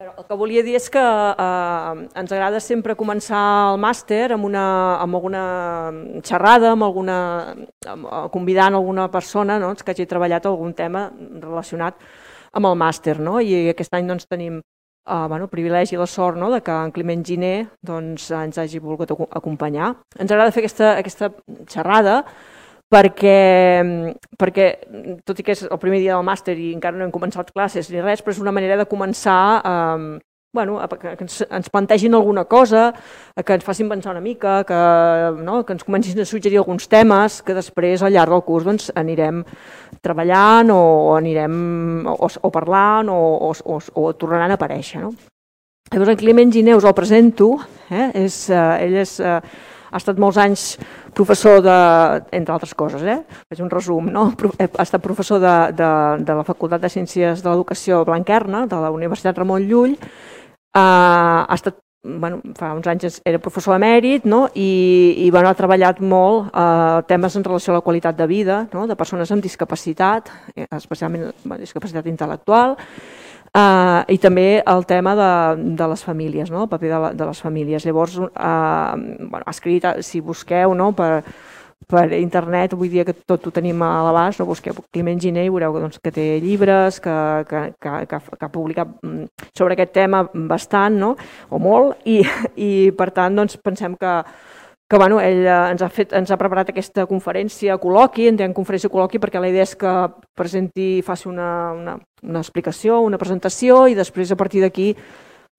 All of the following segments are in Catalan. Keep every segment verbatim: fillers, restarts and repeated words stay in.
El que volia dir és que eh, ens agrada sempre començar el màster amb, una, amb alguna xerrada, amb alguna, amb, convidant alguna persona, no?, que hagi treballat algun tema relacionat amb el màster, no? I aquest any doncs, tenim eh, bueno, el privilegi i la sort, no?, de que en Climent Giner doncs, ens hagi volgut acompanyar. Ens agrada fer aquesta, aquesta xerrada perquè, perquè, tot i que és el primer dia del màster i encara no hem començat classes ni res, però és una manera de començar eh, bueno, que ens, ens plantegin alguna cosa, que ens facin pensar una mica, que, no, que ens comencin a suggerir alguns temes que després al llarg del curs doncs, anirem treballant o anirem o, o parlant o, o, o, o tornaran a aparèixer. No? Llavors, en Climent Giner us el presento, eh? és, eh, ell és... Eh, ha estat molts anys professor de, entre altres coses, eh? Faig un resum, no? Ha estat professor de, de, de la Facultat de Ciències de l'Educació Blanquerna, de la Universitat Ramon Llull, uh, ha estat, bueno, fa uns anys era professor emèrit, no? I, i bueno, ha treballat molt uh, temes en relació a la qualitat de vida, no?, de persones amb discapacitat, especialment bueno, discapacitat intel·lectual, Uh, i també el tema de, de les famílies, no? El paper de, la, de les famílies. Llavors, uh, bueno, ha escrit, si busqueu, no?, per, per internet, avui dia que tot ho tenim a l'abast, no? Busqueu Climent Giner i veureu doncs, que té llibres, que, que, que, que, que ha publicat sobre aquest tema bastant, no?, o molt, i, i per tant doncs, pensem que que bueno, ell ens ha, fet, ens ha preparat aquesta conferència col·loqui, en diem conferència col·loqui perquè la idea és que presenti, faci una, una, una explicació, una presentació i després a partir d'aquí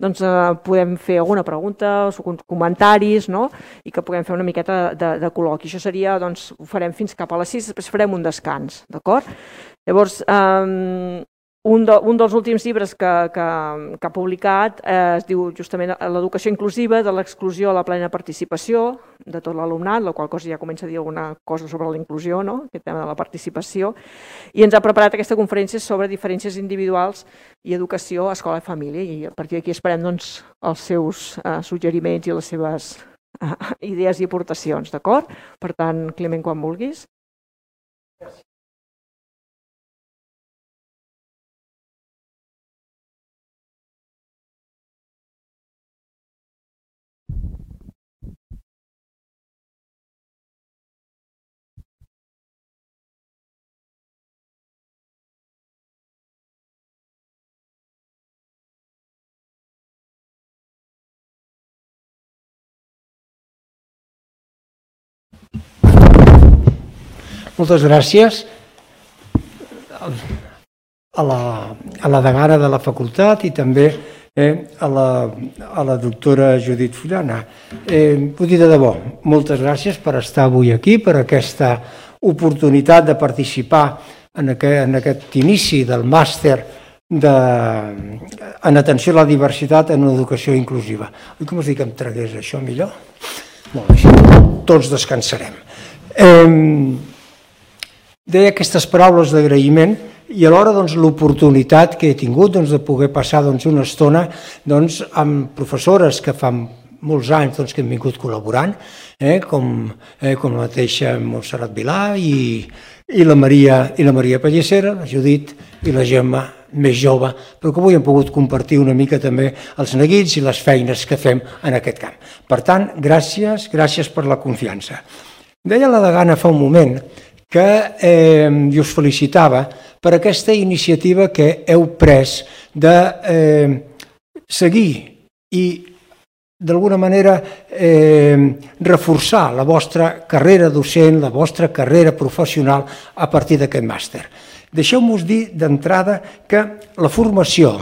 doncs, eh, podem fer alguna pregunta, comentaris, no?, i que puguem fer una miqueta de, de col·loqui. Això seria, doncs, ho farem fins cap a les sis, després farem un descans, d'acord? Llavors, eh, Un, de, un dels últims llibres que, que, que ha publicat eh, es diu justament L'educació inclusiva, de l'exclusió a la plena participació de tot l'alumnat, la qual cosa ja comença a dir alguna cosa sobre la inclusió, no?, aquest tema de la participació, i ens ha preparat aquesta conferència sobre diferències individuals i educació, escola i família, i a partir d'aquí esperem doncs, els seus eh, suggeriments i les seves eh, idees i aportacions, d'acord? Per tant, Climent, quan vulguis. Gràcies. Moltes gràcies a la, a la degana de la facultat i també eh, a, la, a la doctora Judit Fullana. Eh, vull dir de debò, moltes gràcies per estar avui aquí, per aquesta oportunitat de participar en aquest, en aquest inici del màster de, en atenció a la diversitat en educació inclusiva. Oi com us dic que em tragués això millor? Molt bé, tots descansarem. Eh, Deia aquestes paraules d'agraïment i alhora doncs, l'oportunitat que he tingut doncs, de poder passar doncs, una estona doncs, amb professores que fa molts anys doncs, que han vingut col·laborant, eh, com, eh, com la mateixa Montserrat Vilà i, i, la Maria, i la Maria Pallissera, la Judit i la Gemma més jove, però que avui hem pogut compartir una mica també els neguits i les feines que fem en aquest camp. Per tant, gràcies, gràcies per la confiança. Deia la degana fa un moment que eh, jo us felicitava per aquesta iniciativa que heu pres de eh, seguir i d'alguna manera eh, reforçar la vostra carrera docent, la vostra carrera professional a partir d'aquest màster. Deixeu-nos dir d'entrada que la formació,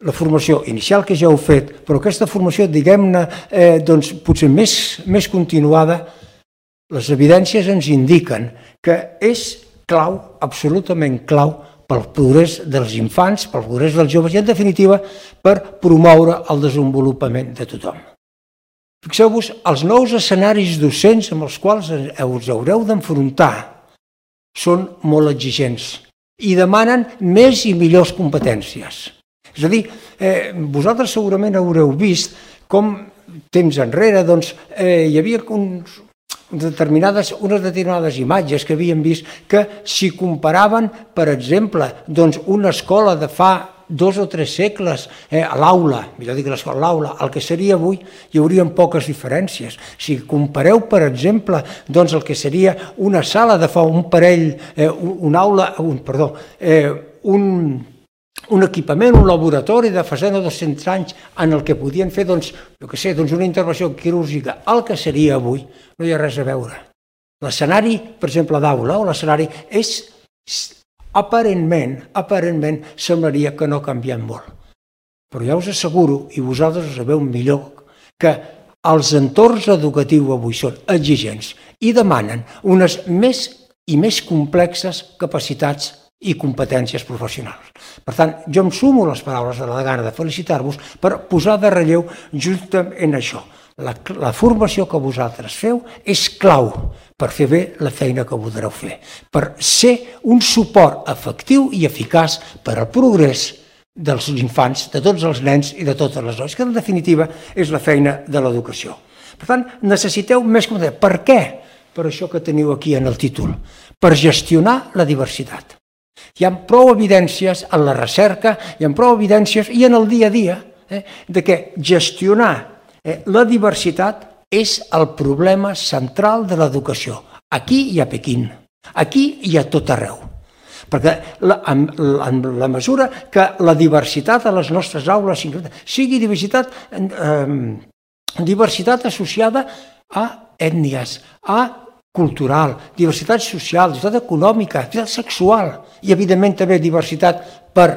la formació inicial que ja heu fet, però aquesta formació, diguem-ne, eh, doncs, potser més, més continuada, les evidències ens indiquen que és clau, absolutament clau, pel progrés dels infants, pel progrés dels joves i, en definitiva, per promoure el desenvolupament de tothom. Fixeu-vos, els nous escenaris docents amb els quals us haureu d'enfrontar són molt exigents i demanen més i millors competències. És a dir, eh, vosaltres segurament haureu vist com temps enrere doncs, eh, hi havia uns... Determinades, unes determinades imatges que havíem vist que si comparaven, per exemple, doncs una escola de fa dos o tres segles eh, a l'aula, millor dir l'escola, l'aula, el que seria avui, hi haurien poques diferències. Si compareu, per exemple, doncs el que seria una sala de fa un parell, eh, una aula, un, perdó, eh, un, un equipament, un laboratori de fa cent o dos-cents anys en el que podien fer, doncs, jo què sé, doncs una intervenció quirúrgica, el que seria avui, no hi ha res a veure. L'escenari, per exemple, d'aula o l'escenari és aparentment, aparentment semblaria que no ha canviat molt. Però ja us asseguro, i vosaltres ho sabeu millor, que els entorns educatius avui són exigents i demanen unes més i més complexes capacitats i competències professionals. Per tant, jo em sumo a les paraules de la degana de felicitar-vos per posar de relleu justament això. La, la formació que vosaltres feu és clau per fer bé la feina que voldreu fer, per ser un suport efectiu i eficaç per al progrés dels infants, de tots els nens i de totes les dones, que en definitiva és la feina de l'educació. Per tant, necessiteu més competència. Per què? Per això que teniu aquí en el títol, per gestionar la diversitat. Hi ha prou evidències en la recerca, hi ha prou evidències i en el dia a dia eh, de que gestionar eh, la diversitat és el problema central de l'educació. Aquí i a Pequín, aquí i a tot arreu. Perquè la, en, en la mesura que la diversitat a les nostres aules sigui diversitat, eh, diversitat associada a ètnies, a cultural, diversitat social, diversitat econòmica, diversitat sexual i, evidentment, també diversitat per,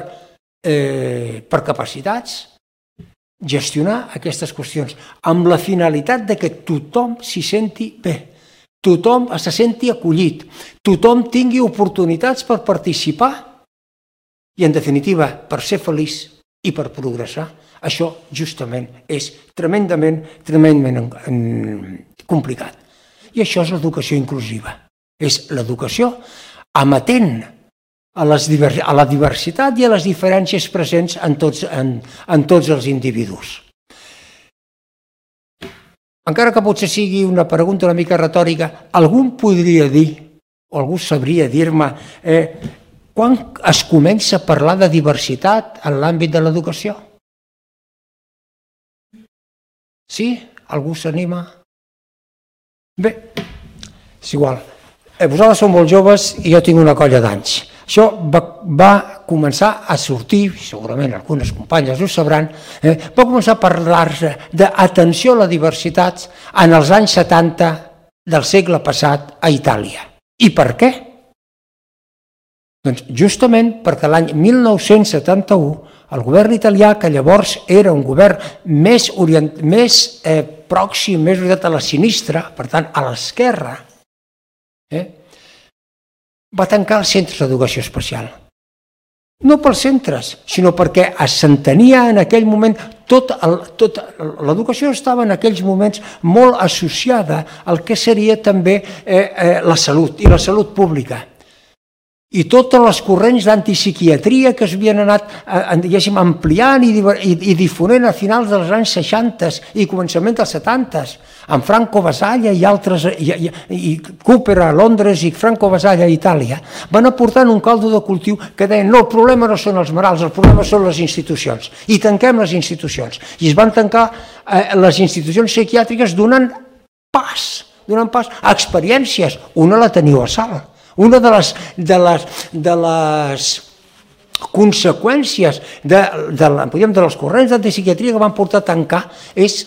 eh, per capacitats, gestionar aquestes qüestions amb la finalitat de que tothom s'hi senti bé, tothom se senti acollit, tothom tingui oportunitats per participar i, en definitiva, per ser feliç i per progressar. Això, justament, és tremendament, tremendament complicat. I això és l'educació inclusiva. És l'educació amatent a, les, a la diversitat i a les diferències presents en tots, en, en tots els individus. Encara que potser sigui una pregunta una mica retòrica, algú podria dir, o algú sabria dir-me, eh, quan es comença a parlar de diversitat en l'àmbit de l'educació? Sí? Algú s'anima? Bé, és igual. Vosaltres sou molt joves i jo tinc una colla d'anys. Això va, va començar a sortir, segurament algunes companyes ho sabran, eh, va començar a parlar-se d'atenció a la diversitat en els anys setanta del segle passat a Itàlia. I per què? Doncs justament perquè l'any mil nou-cents setanta-u el govern italià, que llavors era un govern més, orient, més eh, pròxim, més orientat a la sinistra, per tant a l'esquerra, eh, va tancar els centres d'educació especial. No pels centres, sinó perquè s'entenia en aquell moment, tot tot, l'educació estava en aquells moments molt associada al que seria també eh, eh, la salut i la salut pública. I totes les corrents d'antipsiquiatria que s'havien anat eh, ampliant i, i, i difonent a finals dels anys seixanta i començament dels setanta, amb Franco Basaglia i altres, i, i, i Cooper a Londres i Franco Basaglia a Itàlia, van aportant un caldo de cultiu que deien no, el problema no són els malalts, el problema són les institucions, i tanquem les institucions. I es van tancar eh, les institucions psiquiàtriques donant pas, donant pas a experiències. Una la teniu a Salt. Una de les, de les, de les conseqüències de, de, de, de les corrents d'antipsiquiatria que van portar a tancar és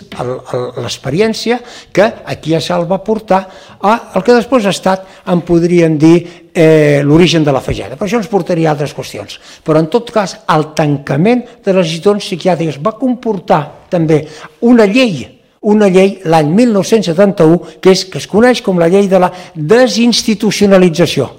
l'experiència que aquí a Salt va portar a el que després ha estat, en podríem dir, eh, l'origen de la fageda. Per això ens portaria a altres qüestions. Però en tot cas, el tancament de les institucions psiquiàtriques va comportar també una llei una llei l'any mil nou-cents setanta-u que, és, que es coneix com la llei de la desinstitucionalització.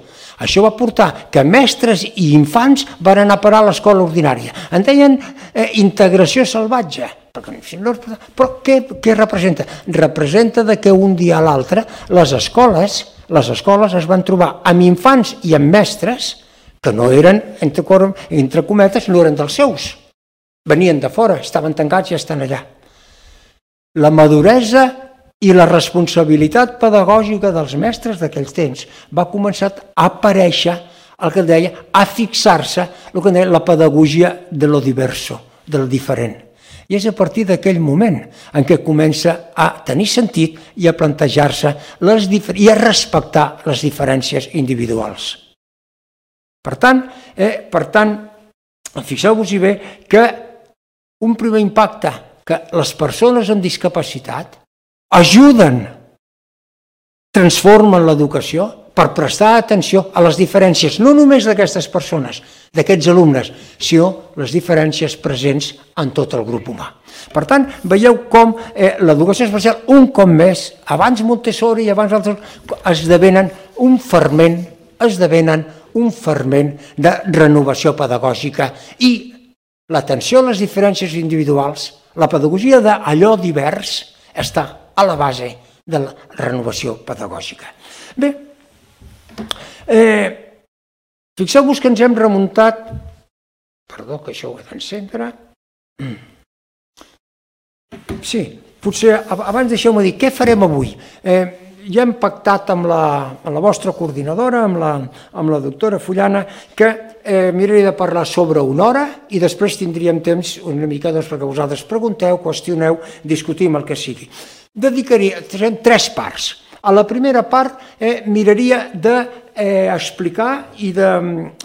Això va portar que mestres i infants van anar a parar a l'escola ordinària. En deien eh, integració salvatge. Però què, què representa? Representa que un dia a l'altre les escoles, les escoles es van trobar amb infants i amb mestres que no eren, entre, entre cometes, no eren dels seus. Venien de fora, estaven tancats i estan allà. La maduresa i la responsabilitat pedagògica dels mestres d'aquells temps va començar a aparèixer el que deia, a fixar-se el que deia la pedagogia de lo diverso, del diferent. I és a partir d'aquell moment en què comença a tenir sentit i a plantejar-se i a respectar les diferències individuals. Per tant, eh, per tant fixeu-vos-hi bé que un primer impacte, que les persones amb discapacitat ajuden, transformen l'educació per prestar atenció a les diferències, no només d'aquestes persones, d'aquests alumnes, sinó les diferències presents en tot el grup humà. Per tant, veieu com eh, l'educació especial, un cop més, abans Montessori i abans altres, esdevenen un ferment, esdevenen un ferment de renovació pedagògica i l'atenció a les diferències individuals, la pedagogia d'allò divers, està a la base de la renovació pedagògica. Bé, eh, fixeu-vos que ens hem remuntat... Perdó, que això ho he d'encendre. Sí, potser abans deixeu-me dir, què farem avui? Eh, ja hem pactat amb la, amb la vostra coordinadora, amb la, amb la doctora Fullana, que eh, miraria de parlar sobre una hora i després tindríem temps una mica doncs, perquè vosaltres pregunteu, qüestioneu, discutim el que sigui. Dedicaria tres parts. A la primera part eh, miraria d'explicar eh, i de,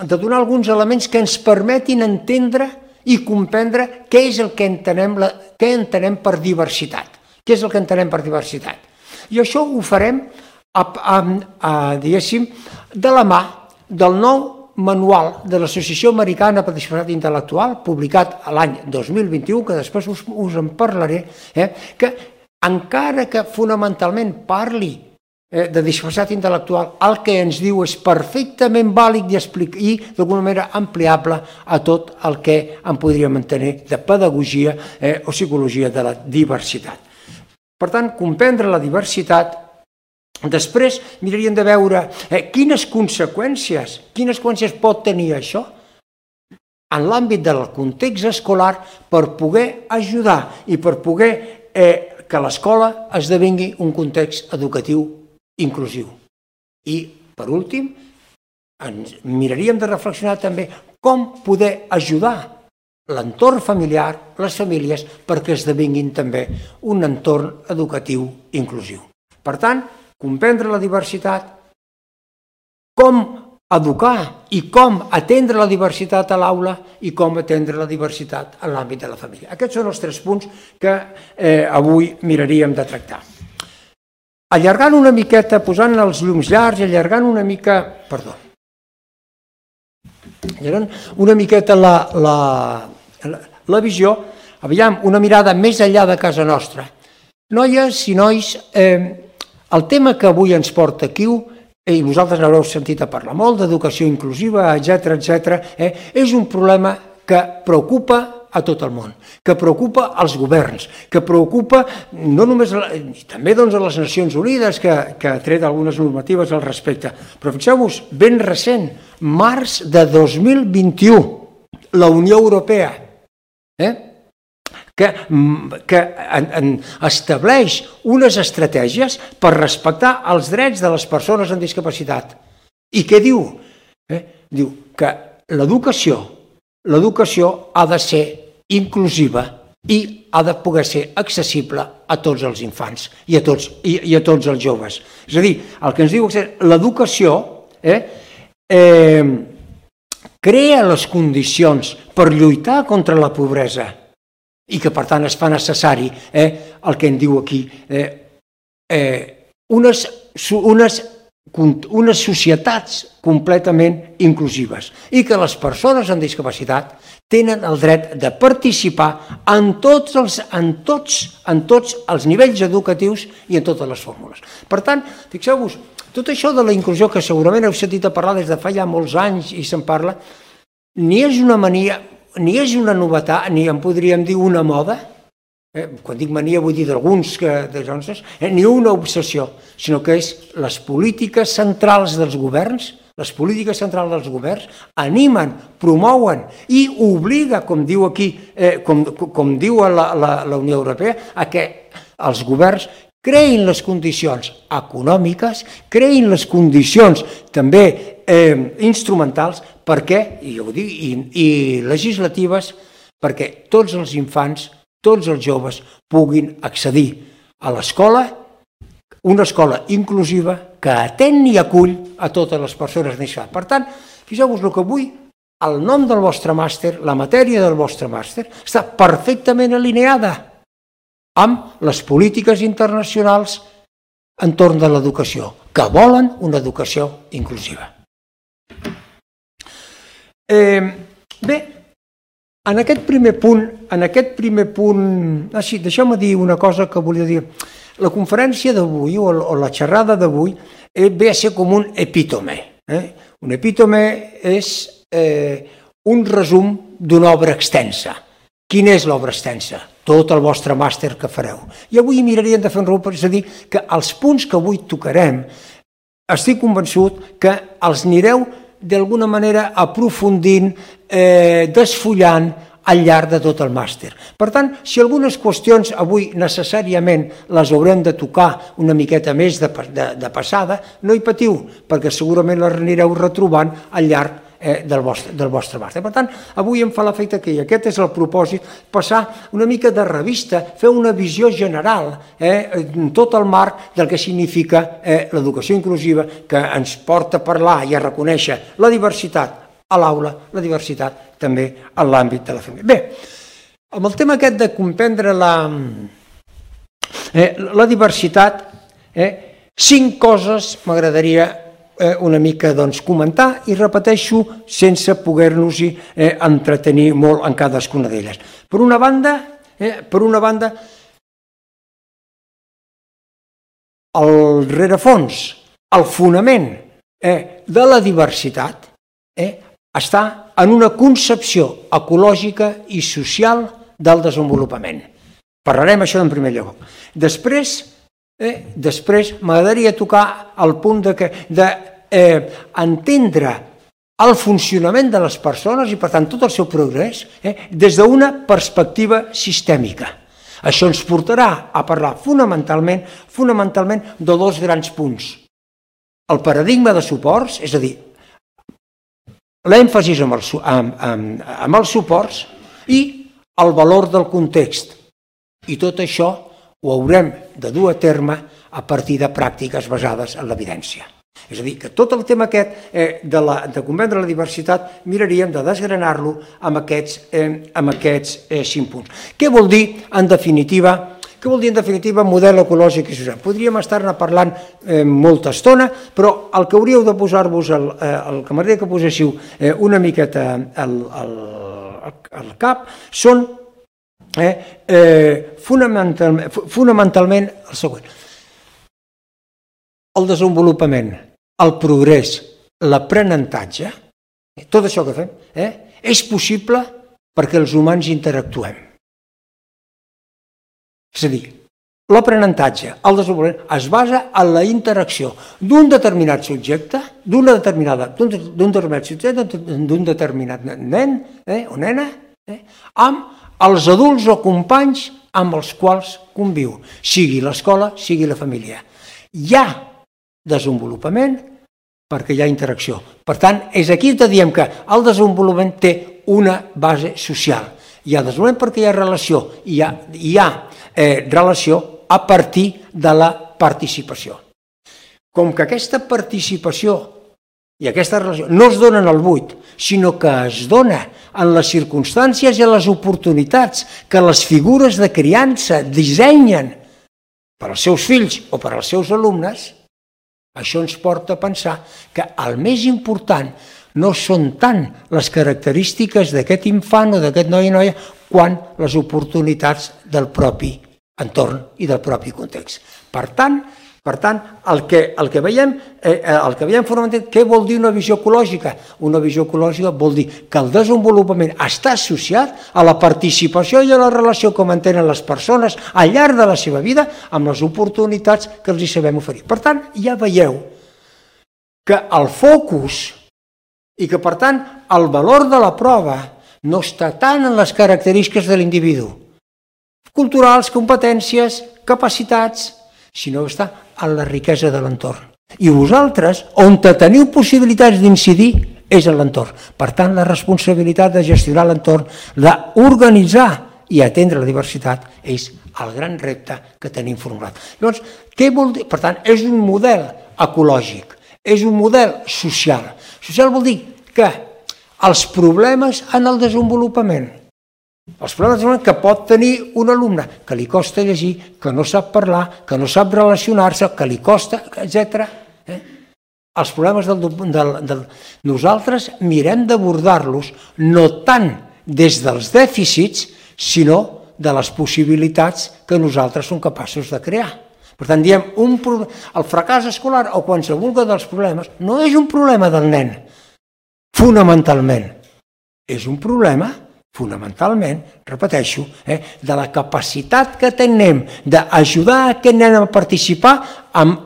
de donar alguns elements que ens permetin entendre i comprendre què és el que entenem, la, què entenem per diversitat. Què és el que entenem per diversitat? I això ho farem, a, a, a, diguéssim, de la mà del nou manual de l'Associació Americana per Discapacitat Intel·lectual, publicat l'any dos mil vint-i-u, que després us, us en parlaré, eh, que encara que fonamentalment parli eh, de discapacitat intel·lectual, el que ens diu és perfectament vàlid i, i d'alguna manera ampliable a tot el que en podríem entenir de pedagogia eh, o psicologia de la diversitat. Per tant, comprendre la diversitat, després miraríem de veure eh, quines conseqüències, quines conseqüències pot tenir això en l'àmbit del context escolar per poder ajudar i per poder eh, que l'escola esdevingui un context educatiu inclusiu. I, per últim, ens miraríem de reflexionar també com poder ajudar l'entorn familiar, les famílies, perquè esdevinguin també un entorn educatiu inclusiu. Per tant, comprendre la diversitat, com educar i com atendre la diversitat a l'aula i com atendre la diversitat en l'àmbit de la família. Aquests són els tres punts que eh, avui miraríem de tractar. Allargant una miqueta, posant els llums llargs, allargant una mica... Perdó. Allargant una miqueta la, la, la, la visió, aviam, una mirada més enllà de casa nostra. Noies i nois, eh, el tema que avui ens porta aquí, i vosaltres n'haureu sentit a parlar molt, d'educació inclusiva, etcètera, etcètera, eh, és un problema que preocupa a tot el món, que preocupa als governs, que preocupa no només, també doncs, a les Nacions Unides, que, que ha tret algunes normatives al respecte. Però fixeu-vos, ben recent, març de dos mil vint-i-u, la Unió Europea, eh, que, que en, en estableix unes estratègies per respectar els drets de les persones amb discapacitat. I què diu? Eh? Diu que l'educació l'educació ha de ser inclusiva i ha de poder ser accessible a tots els infants i a tots, i, i a tots els joves. És a dir, el que ens diu és que l'educació eh, eh, crea les condicions per lluitar contra la pobresa i que, per tant, es fa necessari eh, el que en diu aquí, eh, eh, unes, unes, unes societats completament inclusives i que les persones amb discapacitat tenen el dret de participar en tots els, en tots, en tots els nivells educatius i en totes les fórmules. Per tant, fixeu-vos, tot això de la inclusió, que segurament heu sentit a parlar des de fa ja molts anys i se'n parla, ni és una mania, ni és una novetat, ni en podríem dir una moda, eh, quan dic mania vull dir d'alguns, eh, ni una obsessió, sinó que és les polítiques centrals dels governs, les polítiques centrals dels governs animen, promouen i obliga, com diu aquí, eh, com, com diu la, la, la Unió Europea, a que els governs creïn les condicions econòmiques, creïn les condicions també eh, instrumentals perquè, i, jo ho dic, i, i legislatives, perquè tots els infants, tots els joves puguin accedir a l'escola, una escola inclusiva que atén i acull a totes les persones necessàries. Per tant, fixeu-vos el que avui, el nom del vostre màster, la matèria del vostre màster, està perfectament alineada amb les polítiques internacionals entorn de l'educació, que volen una educació inclusiva. Eh, bé, en aquest primer punt, en aquest primer punt, ah, sí, deixeu-me dir una cosa que volia dir. La conferència d'avui, o, o la xerrada d'avui, eh, ve a ser com un epítome. Eh? Un epítome és eh, un resum d'una obra extensa. Quina és l'obra extensa? Tot el vostre màster que fareu. I avui miraríem de fer un resum, és a dir, que els punts que avui tocarem, estic convençut que els anireu d'alguna manera aprofundint, eh, desfullant al llarg de tot el màster. Per tant, si algunes qüestions avui necessàriament les haurem de tocar una miqueta més de, de, de passada, no hi patiu, perquè segurament les anireu retrobant al llarg eh, del, vostre, del vostre màster. Per tant, avui em fa l'efecte que i aquest és el propòsit, passar una mica de revista, fer una visió general, eh, en tot el marc del que significa eh, l'educació inclusiva, que ens porta a parlar i a reconèixer la diversitat a l'aula, la diversitat també en l'àmbit de la família. Bé, amb el tema aquest de comprendre la, eh, la diversitat, eh, cinc coses m'agradaria eh, una mica doncs, comentar i repeteixo sense poder-nos-hi eh, entretenir molt en cadascuna d'elles. Per una banda, eh, per una banda, el rerefons, el fonament eh, de la diversitat eh, està en una concepció ecològica i social del desenvolupament. Parlarem això en primer lloc. Després, eh, després m'agradaria tocar el punt de, que, de eh, entendre el funcionament de les persones i, per tant, tot el seu progrés eh, des d'una perspectiva sistèmica. Això ens portarà a parlar fonamentalment, fonamentalment de dos grans punts. El paradigma de suports, és a dir, l'èmfasis amb, el, amb, amb, amb els suports i el valor del context. I tot això ho haurem de dur a terme a partir de pràctiques basades en l'evidència. És a dir, que tot el tema aquest eh, de, la, de comprendre la diversitat miraríem de desgranar-lo amb aquests, eh, amb aquests eh, cinc punts. Què vol dir, en definitiva, Què vol dir, en definitiva, model ecològic i social? Podríem estar-ne parlant eh, molta estona, però el que hauríeu de posar-vos, el, eh, el que m'agradaria que poséssiu eh, una miqueta al, al, al cap, són eh, eh, fonamentalment, fonamentalment el següent. El desenvolupament, el progrés, l'aprenentatge, tot això que fem, eh, és possible perquè els humans interactuem. És a dir, l'aprenentatge, el desenvolupament, es basa en la interacció d'un determinat subjecte, d'una determinada, d'un determinat subjecte, d'un determinat nen eh, o nena, eh, amb els adults o companys amb els quals conviu, sigui l'escola, sigui la família. Hi ha desenvolupament perquè hi ha interacció. Per tant, és aquí que diem que el desenvolupament té una base social. Hi ha desenvolupament perquè hi ha relació, hi ha, hi ha eh, relació a partir de la participació. Com que aquesta participació i aquesta relació no es dona en el buit, sinó que es dona en les circumstàncies i en les oportunitats que les figures de criança dissenyen per als seus fills o per als seus alumnes, això ens porta a pensar que el més important no són tant les característiques d'aquest infant o d'aquest noi o noia quan les oportunitats del propi entorn i del propi context. Per tant, per tant el, que, el, que veiem, eh, el que veiem fonamentalment, què vol dir una visió ecològica? Una visió ecològica vol dir que el desenvolupament està associat a la participació i a la relació que mantenen les persones al llarg de la seva vida amb les oportunitats que els hi sabem oferir. Per tant, ja veieu que el focus i que, per tant, el valor de la prova no està tant en les característiques de l'individu. Culturals, competències, capacitats, sinó està en la riquesa de l'entorn. I vosaltres, on teniu possibilitats d'incidir, és en l'entorn. Per tant, la responsabilitat de gestionar l'entorn, d'organitzar i atendre la diversitat, és el gran repte que tenim formulat. Llavors, què vol dir? Per tant, és un model ecològic, és un model social. Social vol dir que els problemes en el desenvolupament, els problemes que pot tenir un alumne, que li costa llegir, que no sap parlar, que no sap relacionar-se, que li costa, etcètera. Eh? Els problemes del, del, del... Nosaltres mirem d'abordar-los no tant des dels dèficits, sinó de les possibilitats que nosaltres som capaços de crear. Per tant, diem, un pro... el fracàs escolar o qualsevol dels problemes no és un problema del nen, fonamentalment. És un problema, fonamentalment, repeteixo, eh, de la capacitat que tenim d'ajudar aquest nen a participar en,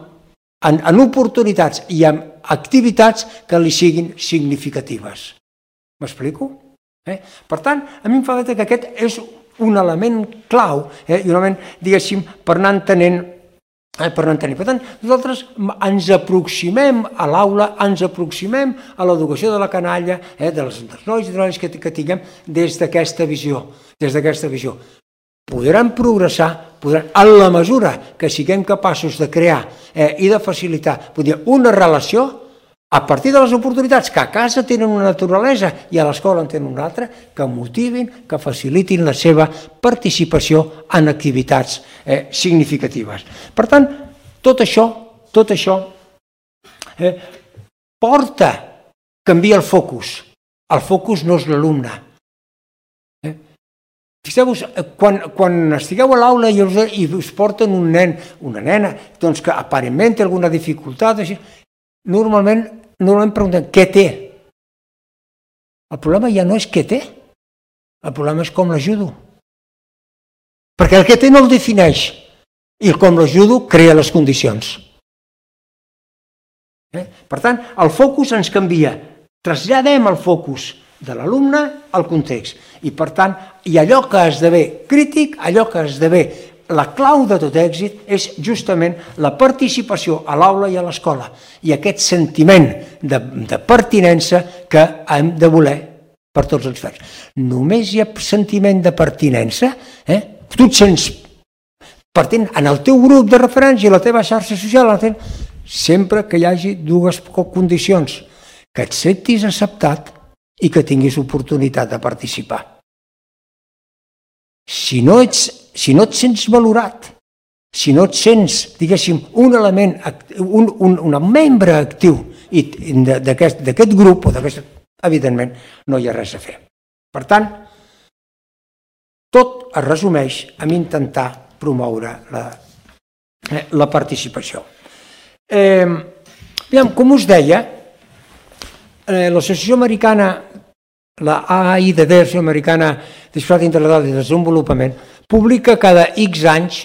en, en oportunitats i en activitats que li siguin significatives. M'explico? Eh? Per tant, a mi em fa que aquest és un element clau, eh, i un element, diguéssim, per anar entenent Eh, per, per tant, nosaltres ens aproximem a l'aula, ens aproximem a l'educació de la canalla, eh, dels, dels nois i de les que, que tinguem des d'aquesta visió. Des d'aquesta visió. Podran progressar, podran, en la mesura que siguem capaços de crear eh, i de facilitar dir, una relació a partir de les oportunitats que a casa tenen una naturalesa i a l'escola en tenen una altra, que motivin, que facilitin la seva participació en activitats eh, significatives. Per tant, tot això, tot això eh, porta, canvia el focus. El focus no és l'alumne. Eh? Fixeu-vos, quan, quan estigueu a l'aula i, i us porten un nen, una nena, doncs que aparentment té alguna dificultat, així, normalment Normalment preguntem què té. El problema ja no és què té, el problema és com l'ajudo. Perquè el que té no el defineix i el com l'ajudo crea les condicions. Eh? Per tant, el focus ens canvia. Traslladem el focus de l'alumne al context. I per tant, i allò que esdevé crític, allò que esdevé la clau de tot èxit és justament la participació a l'aula i a l'escola i aquest sentiment de, de pertinença que hem de voler per tots els fets. Només hi ha sentiment de pertinença, eh? Tu et sents pertinent en el teu grup de referència, la teva xarxa social, sempre que hi hagi dues condicions, que et sentis acceptat i que tinguis oportunitat de participar. Si no ets Si no et sents valorat, si no et sents, diguéssim, un element, un, un, un membre actiu d'aquest grup, o d'aquest, evidentment, no hi ha res a fer. Per tant, tot es resumeix en intentar promoure la, eh, la participació. Eh, aviam, com us deia, eh, l'Associació Americana, la A I D D, l'Associació Americana d'Escola Integral de Desenvolupament, publica cada X anys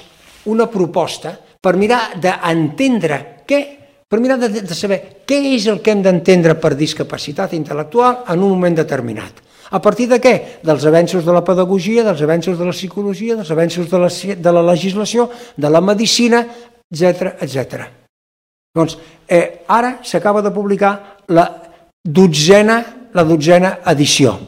una proposta per mirar d'entendre què, per mirar de, de saber què és el que hem d'entendre per discapacitat intel·lectual en un moment determinat. A partir de què? Dels avenços de la pedagogia, dels avenços de la psicologia, dels avenços de la, de la legislació, de la medicina, etcètera, etcètera. Doncs eh, ara s'acaba de publicar la dotzena, la dotzena edició.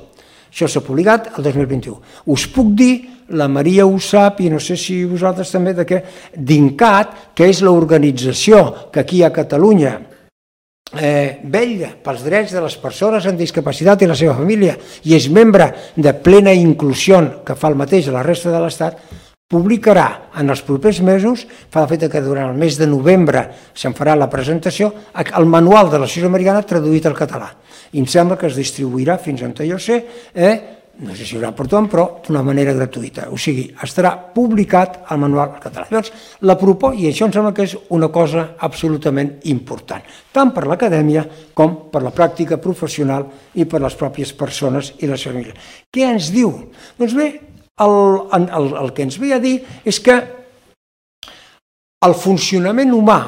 Això s'ha publicat el dos mil vint-i-u. Us puc dir, la Maria ho sap, i no sé si vosaltres també, de què, d'INCAT, que és l'organització que aquí a Catalunya eh, vetlla pels drets de les persones amb discapacitat i la seva família, i és membre de Plena Inclusió, que fa el mateix a la resta de l'Estat, publicarà en els propers mesos, fa el fet que durant el mes de novembre se'n farà la presentació, el manual de l'Associació Americana traduït al català. I em sembla que es distribuirà fins on jo sé, eh, no sé si hi haurà per tothom, però d'una manera gratuïta. O sigui, estarà publicat el manual al català. Llavors, la proposta, i això em sembla que és una cosa absolutament important, tant per l'acadèmia com per la pràctica professional i per les pròpies persones i les famílies. Què ens diu? Doncs bé, el, el, el que ens ve a dir és que el funcionament humà,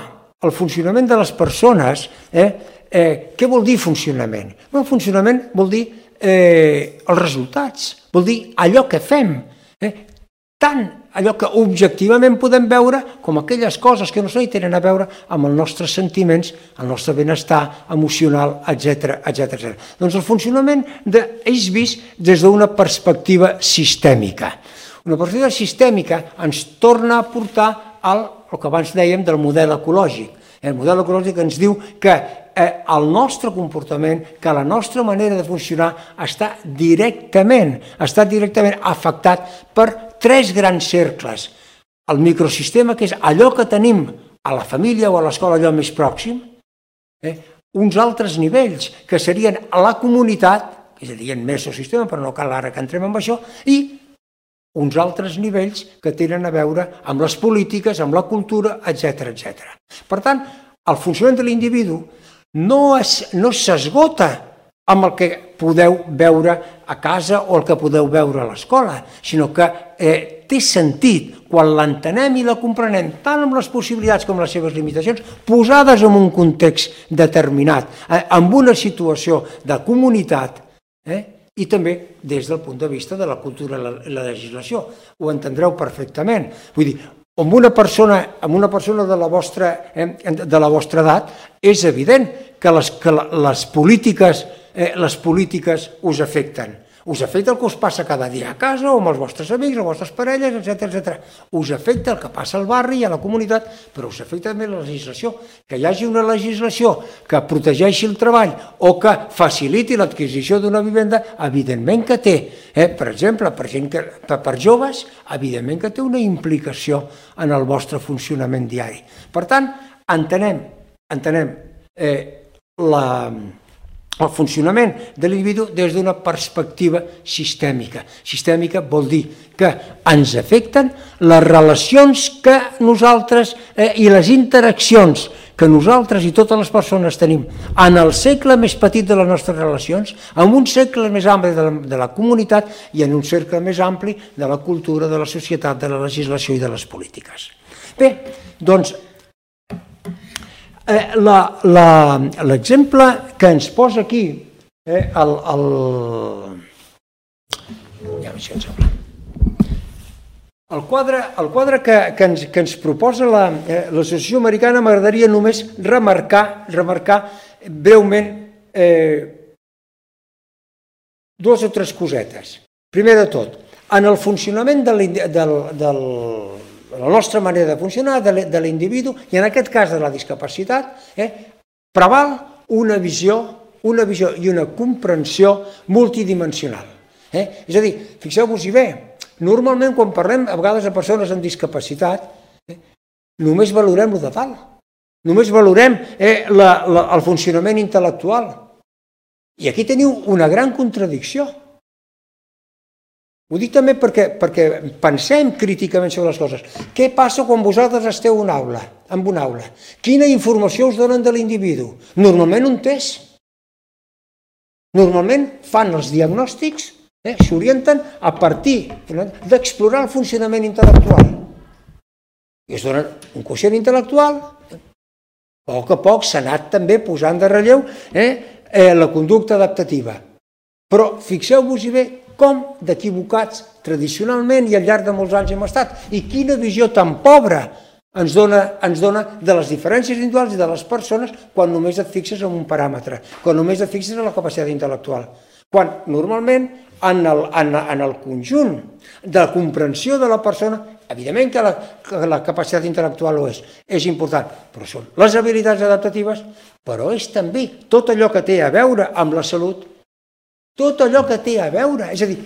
el funcionament de les persones, eh, eh, què vol dir funcionament? El funcionament vol dir Eh, els resultats, vol dir allò que fem. Eh? tant allò que objectivament podem veure com aquelles coses que no sé, tenen a veure amb els nostres sentiments, el nostre benestar emocional, etcètera, etcètera. Doncs el funcionament és vist des d'una perspectiva sistèmica. Una perspectiva sistèmica ens torna a portar al que abans dèiem del model ecològic. El model ecològic ens diu que el nostre comportament, que la nostra manera de funcionar està directament, està directament afectat per tres grans cercles. El microsistema, que és allò que tenim a la família o a l'escola, allò més pròxim, eh? uns altres nivells, que serien la comunitat, que serien mesosistema, però no cal ara que entrem en això, i uns altres nivells que tenen a veure amb les polítiques, amb la cultura, etcètera, etcètera. Per tant, el funcionament de l'individu no s'esgota amb el que podeu veure a casa o el que podeu veure a l'escola, sinó que té sentit quan l'entenem i la comprenem, tant amb les possibilitats com les seves limitacions, posades en un context determinat, en una situació de comunitat, i també des del punt de vista de la cultura i la legislació. Ho entendreu perfectament. Vull dir, amb una persona, amb una persona de la vostra, de la vostra edat, és evident que les, que les polítiques, eh, les polítiques us afecten. Us afecta el que us passa cada dia a casa, o amb els vostres amics, o amb les vostres parelles, etcètera, etcètera. Us afecta el que passa al barri i a la comunitat, però us afecta també la legislació. Que hi hagi una legislació que protegeixi el treball o que faciliti l'adquisició d'una vivenda, evidentment que té. Eh? Per exemple, per, gent que, per, per joves, evidentment que té una implicació en el vostre funcionament diari. Per tant, entenem, entenem eh, la... el funcionament de l'individu des d'una perspectiva sistèmica. Sistèmica vol dir que ens afecten les relacions que nosaltres eh, i les interaccions que nosaltres i totes les persones tenim en el segle més petit de les nostres relacions, en un segle més ampli de la, de la comunitat i en un cercle més ampli de la cultura, de la societat, de la legislació i de les polítiques. Bé, doncs, Eh, l'exemple que ens posa aquí, eh, el, el, ja el quadre, el quadre que, que, ens, que ens proposa l'Associació eh, Americana, m'agradaria només remarcar, remarcar breument eh, dues o tres cosetes. Primer de tot, en el funcionament del, del, del la nostra manera de funcionar, de l'individu, i en aquest cas de la discapacitat, eh, preval una visió, una visió i una comprensió multidimensional. Eh? És a dir, fixeu-vos-hi bé, normalment quan parlem a vegades de persones amb discapacitat, eh, només valorem el de dalt, només valorem eh, la, la, el funcionament intel·lectual. I aquí teniu una gran contradicció. Ho dic també perquè, perquè pensem críticament sobre les coses. Què passa quan vosaltres esteu en una aula, en una aula? Quina informació us donen de l'individu? Normalment un test. Normalment fan els diagnòstics, eh, s'orienten a partir d'explorar el funcionament intel·lectual. I es donen un quocient intel·lectual. A poc a poc s'ha anat també posant de relleu eh, eh, la conducta adaptativa. Però fixeu-vos-hi bé com d'equivocats tradicionalment i al llarg de molts anys hem estat. I quina visió tan pobra ens dona, ens dona de les diferències individuals i de les persones quan només et fixes en un paràmetre, quan només et fixes en la capacitat intel·lectual. Quan normalment en el, en, en el conjunt de la comprensió de la persona, evidentment que la, que la capacitat intel·lectual ho és, és important, però són les habilitats adaptatives, però és també tot allò que té a veure amb la salut, tot allò que té a veure, és a dir,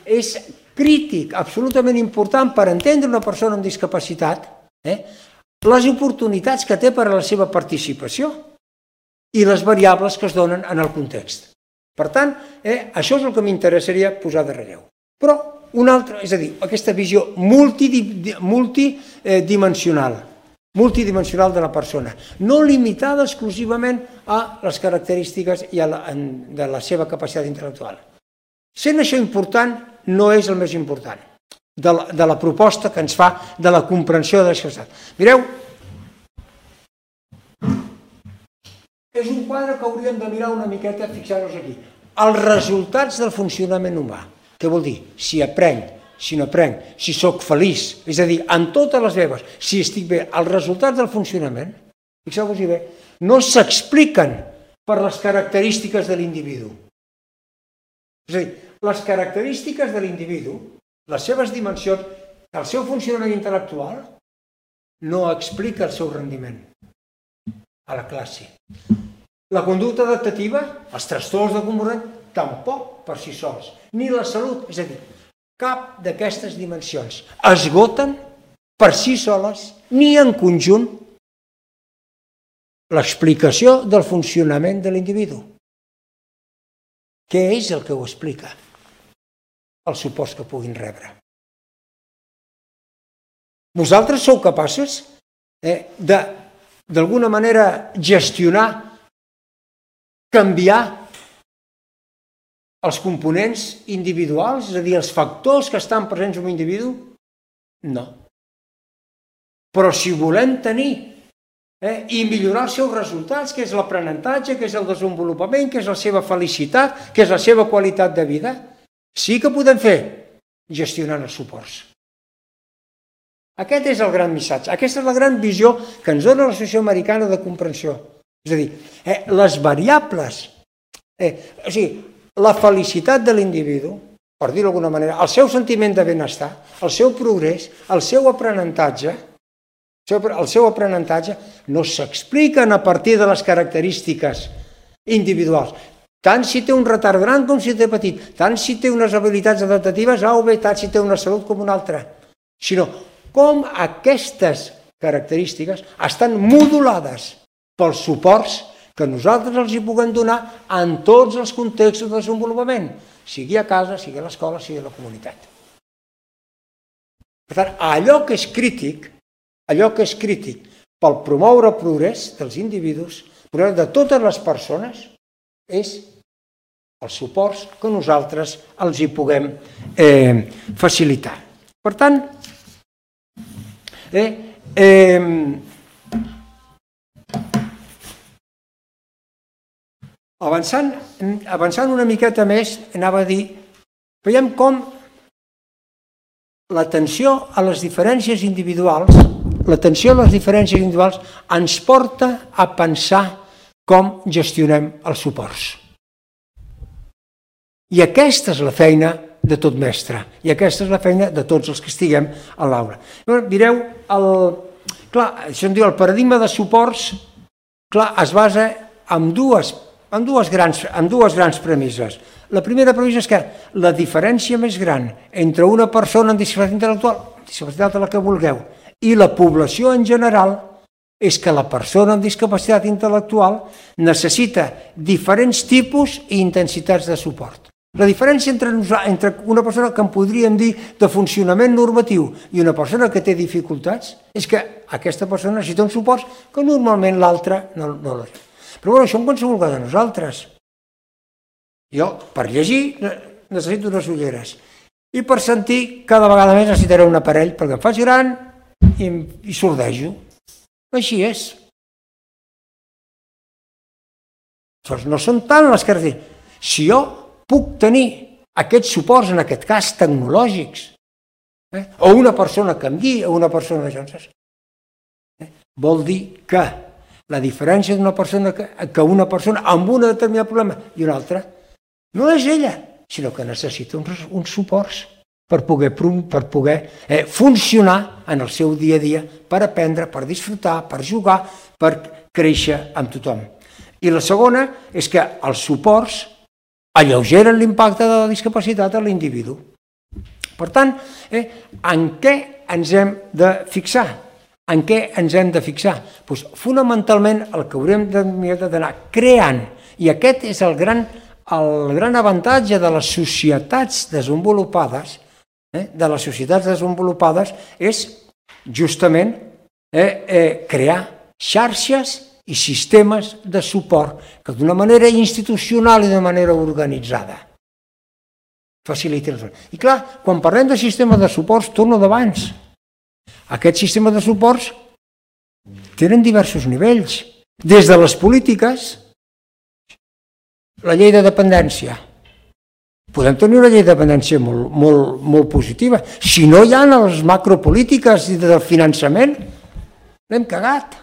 és crític, absolutament important per entendre una persona amb discapacitat, eh, les oportunitats que té per a la seva participació i les variables que es donen en el context. Per tant, eh, això és el que m'interessaria posar de relleu. Però una altra, és a dir, aquesta visió multidimensional, multidimensional de la persona, no limitada exclusivament a les característiques i a la, de la seva capacitat intel·lectual. Sent això important, no és el més important de la, de la proposta que ens fa de la comprensió de la societat. Mireu, és un quadre que hauríem de mirar una miqueta, fixar-nos aquí. Els resultats del funcionament humà. Què vol dir? Si aprenc, si n'aprenc, si sóc feliç, és a dir, en totes les meves, si estic bé, els resultats del funcionament, fixeu-vos-hi bé, no s'expliquen per les característiques de l'individu. És a dir, les característiques de l'individu, les seves dimensions, el seu funcionament intel·lectual, no explica el seu rendiment a la classe. La conducta adaptativa, els trastorns de comportament, tampoc per si sols, ni la salut, és a dir, cap d'aquestes dimensions esgoten per si soles ni en conjunt l'explicació del funcionament de l'individu. Què és el que ho explica? Els suports que puguin rebre. Vosaltres sou capaços eh, de, d'alguna manera, gestionar, canviar els components individuals, és a dir, els factors que estan presents en un individu? No. Però si volem tenir eh, i millorar els seus resultats, que és l'aprenentatge, que és el desenvolupament, que és la seva felicitat, que és la seva qualitat de vida, sí que podem fer gestionant els suports. Aquest és el gran missatge, aquesta és la gran visió que ens dona l'Associació Americana de Comprensió. És a dir, eh, les variables, eh, o sigui, la felicitat de l'individu, per dir-ho d'alguna manera, el seu sentiment de benestar, el seu progrés, el seu aprenentatge, el seu aprenentatge no s'expliquen a partir de les característiques individuals. Tant si té un retard gran com si té petit, tant si té unes habilitats adaptatives A o B, tant si té una salut com una altra, sinó com aquestes característiques estan modulades pels suports que nosaltres els hi puguem donar en tots els contextos de desenvolupament, sigui a casa, sigui a l'escola, sigui a la comunitat. Per tant, allò que és crític, allò que és crític pel promoure el progrés dels individus, el progrés de totes les persones, és els suports que nosaltres els hi puguem eh, facilitar. Per tant, eh, eh, Avançant, avançant una miqueta més, anava a dir, veiem com l'atenció a les diferències individuals, l'atenció a les diferències individuals ens porta a pensar com gestionem els suports. I aquesta és la feina de tot mestre, i aquesta és la feina de tots els que estiguem a l'aula. Mireu, el, clar, això em diu, el paradigma de suports, clar, es basa en dues amb dues grans, amb dues grans premisses. La primera premissa és que la diferència més gran entre una persona amb discapacitat intel·lectual, discapacitat a la que vulgueu, i la població en general, és que la persona amb discapacitat intel·lectual necessita diferents tipus i intensitats de suport. La diferència entre, entre una persona que en podríem dir de funcionament normatiu i una persona que té dificultats és que aquesta persona necessita un suport que normalment l'altra no, no l'ha. Però bueno, això en qualsevol cas de nosaltres. Jo, per llegir, necessito unes ulleres. I per sentir, cada vegada més necessitaré un aparell perquè em faig gran i, i sordejo. Així és. Doncs no són tant les característiques. Si jo puc tenir aquests suports, en aquest cas tecnològics, eh, o una persona que em guia, o una persona de Johnson, eh, vol dir que la diferència d'una persona que, que una persona amb un determinat problema i una altra no és ella, sinó que necessita uns, uns suports per poder, per poder eh, funcionar en el seu dia a dia, per aprendre, per disfrutar, per jugar, per créixer amb tothom. I la segona és que els suports alleugeren l'impacte de la discapacitat a l'individu. Per tant, eh, en què ens hem de fixar? En què ens hem de fixar? Pues, fonamentalment el que haurem d'anar creant, i aquest és el gran, el gran avantatge de les societats desenvolupades, eh, de les societats desenvolupades és justament eh, eh, crear xarxes i sistemes de suport que d'una manera institucional i d'una manera organitzada facilitin. I clar, quan parlem de sistemes de suports, torno d'abans. Aquests sistemes de suports tenen diversos nivells. Des de les polítiques, la llei de dependència, podem tenir una llei de dependència molt, molt, molt positiva. Si no hi ha les macropolítiques de finançament, l'hem cagat.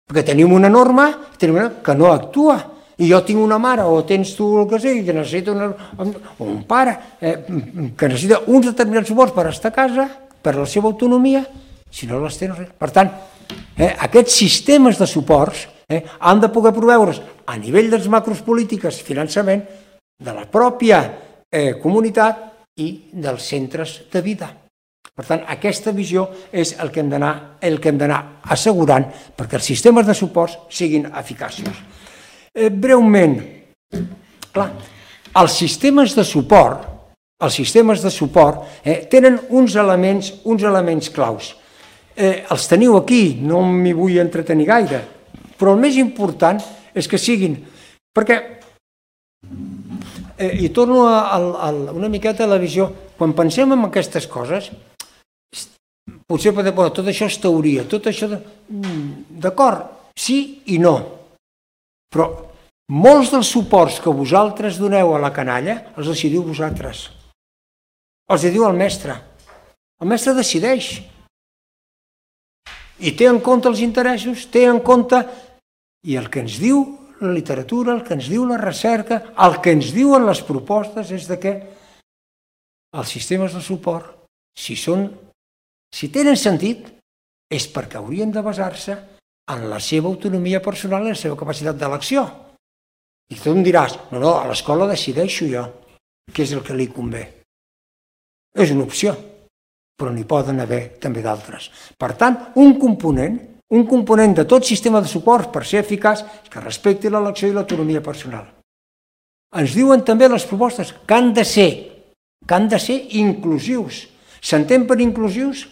Perquè tenim una norma tenim una que no actua. I jo tinc una mare, o tens tu el que sigui, que necessita una, o un pare, eh, que necessita uns determinats suports per estar a casa, per la seva autonomia, si no les tens res. Per tant, eh, aquests sistemes de suports eh, han de poder proveure's a nivell de les macros polítiques, finançament, de la pròpia eh, comunitat i dels centres de vida. Per tant, aquesta visió és el que hem d'anar el que hem d'anar assegurant perquè els sistemes de suports siguin eficaços. Eh, breument, clar, els sistemes de suport, els sistemes de suport eh, tenen uns elements, uns elements claus. Eh, els teniu aquí, no m'hi vull entretenir gaire, però el més important és que siguin, perquè Eh, I torno a, a, a una miqueta a la visió. Quan pensem en aquestes coses, potser podem dir, tot això és teoria, tot això... De... D'acord, sí i no. Però molts dels suports que vosaltres doneu a la canalla els decidiu vosaltres. Els diu el mestre. El mestre decideix. I té en compte els interessos, té en compte... I el que ens diu la literatura, el que ens diu la recerca, el que ens diuen les propostes és de que els sistemes de suport, si són, si tenen sentit, és perquè haurien de basar-se en la seva autonomia personal i la seva capacitat d'elecció. I tu em diràs, no, no, a l'escola decideixo jo què és el que li convé. És una opció, però n'hi poden haver també d'altres. Per tant, un component Un component de tot sistema de suport per ser eficaç és que respecti l'elecció i l'autonomia personal. Ens diuen també les propostes que han de ser, que han de ser inclusius. S'entén per inclusius?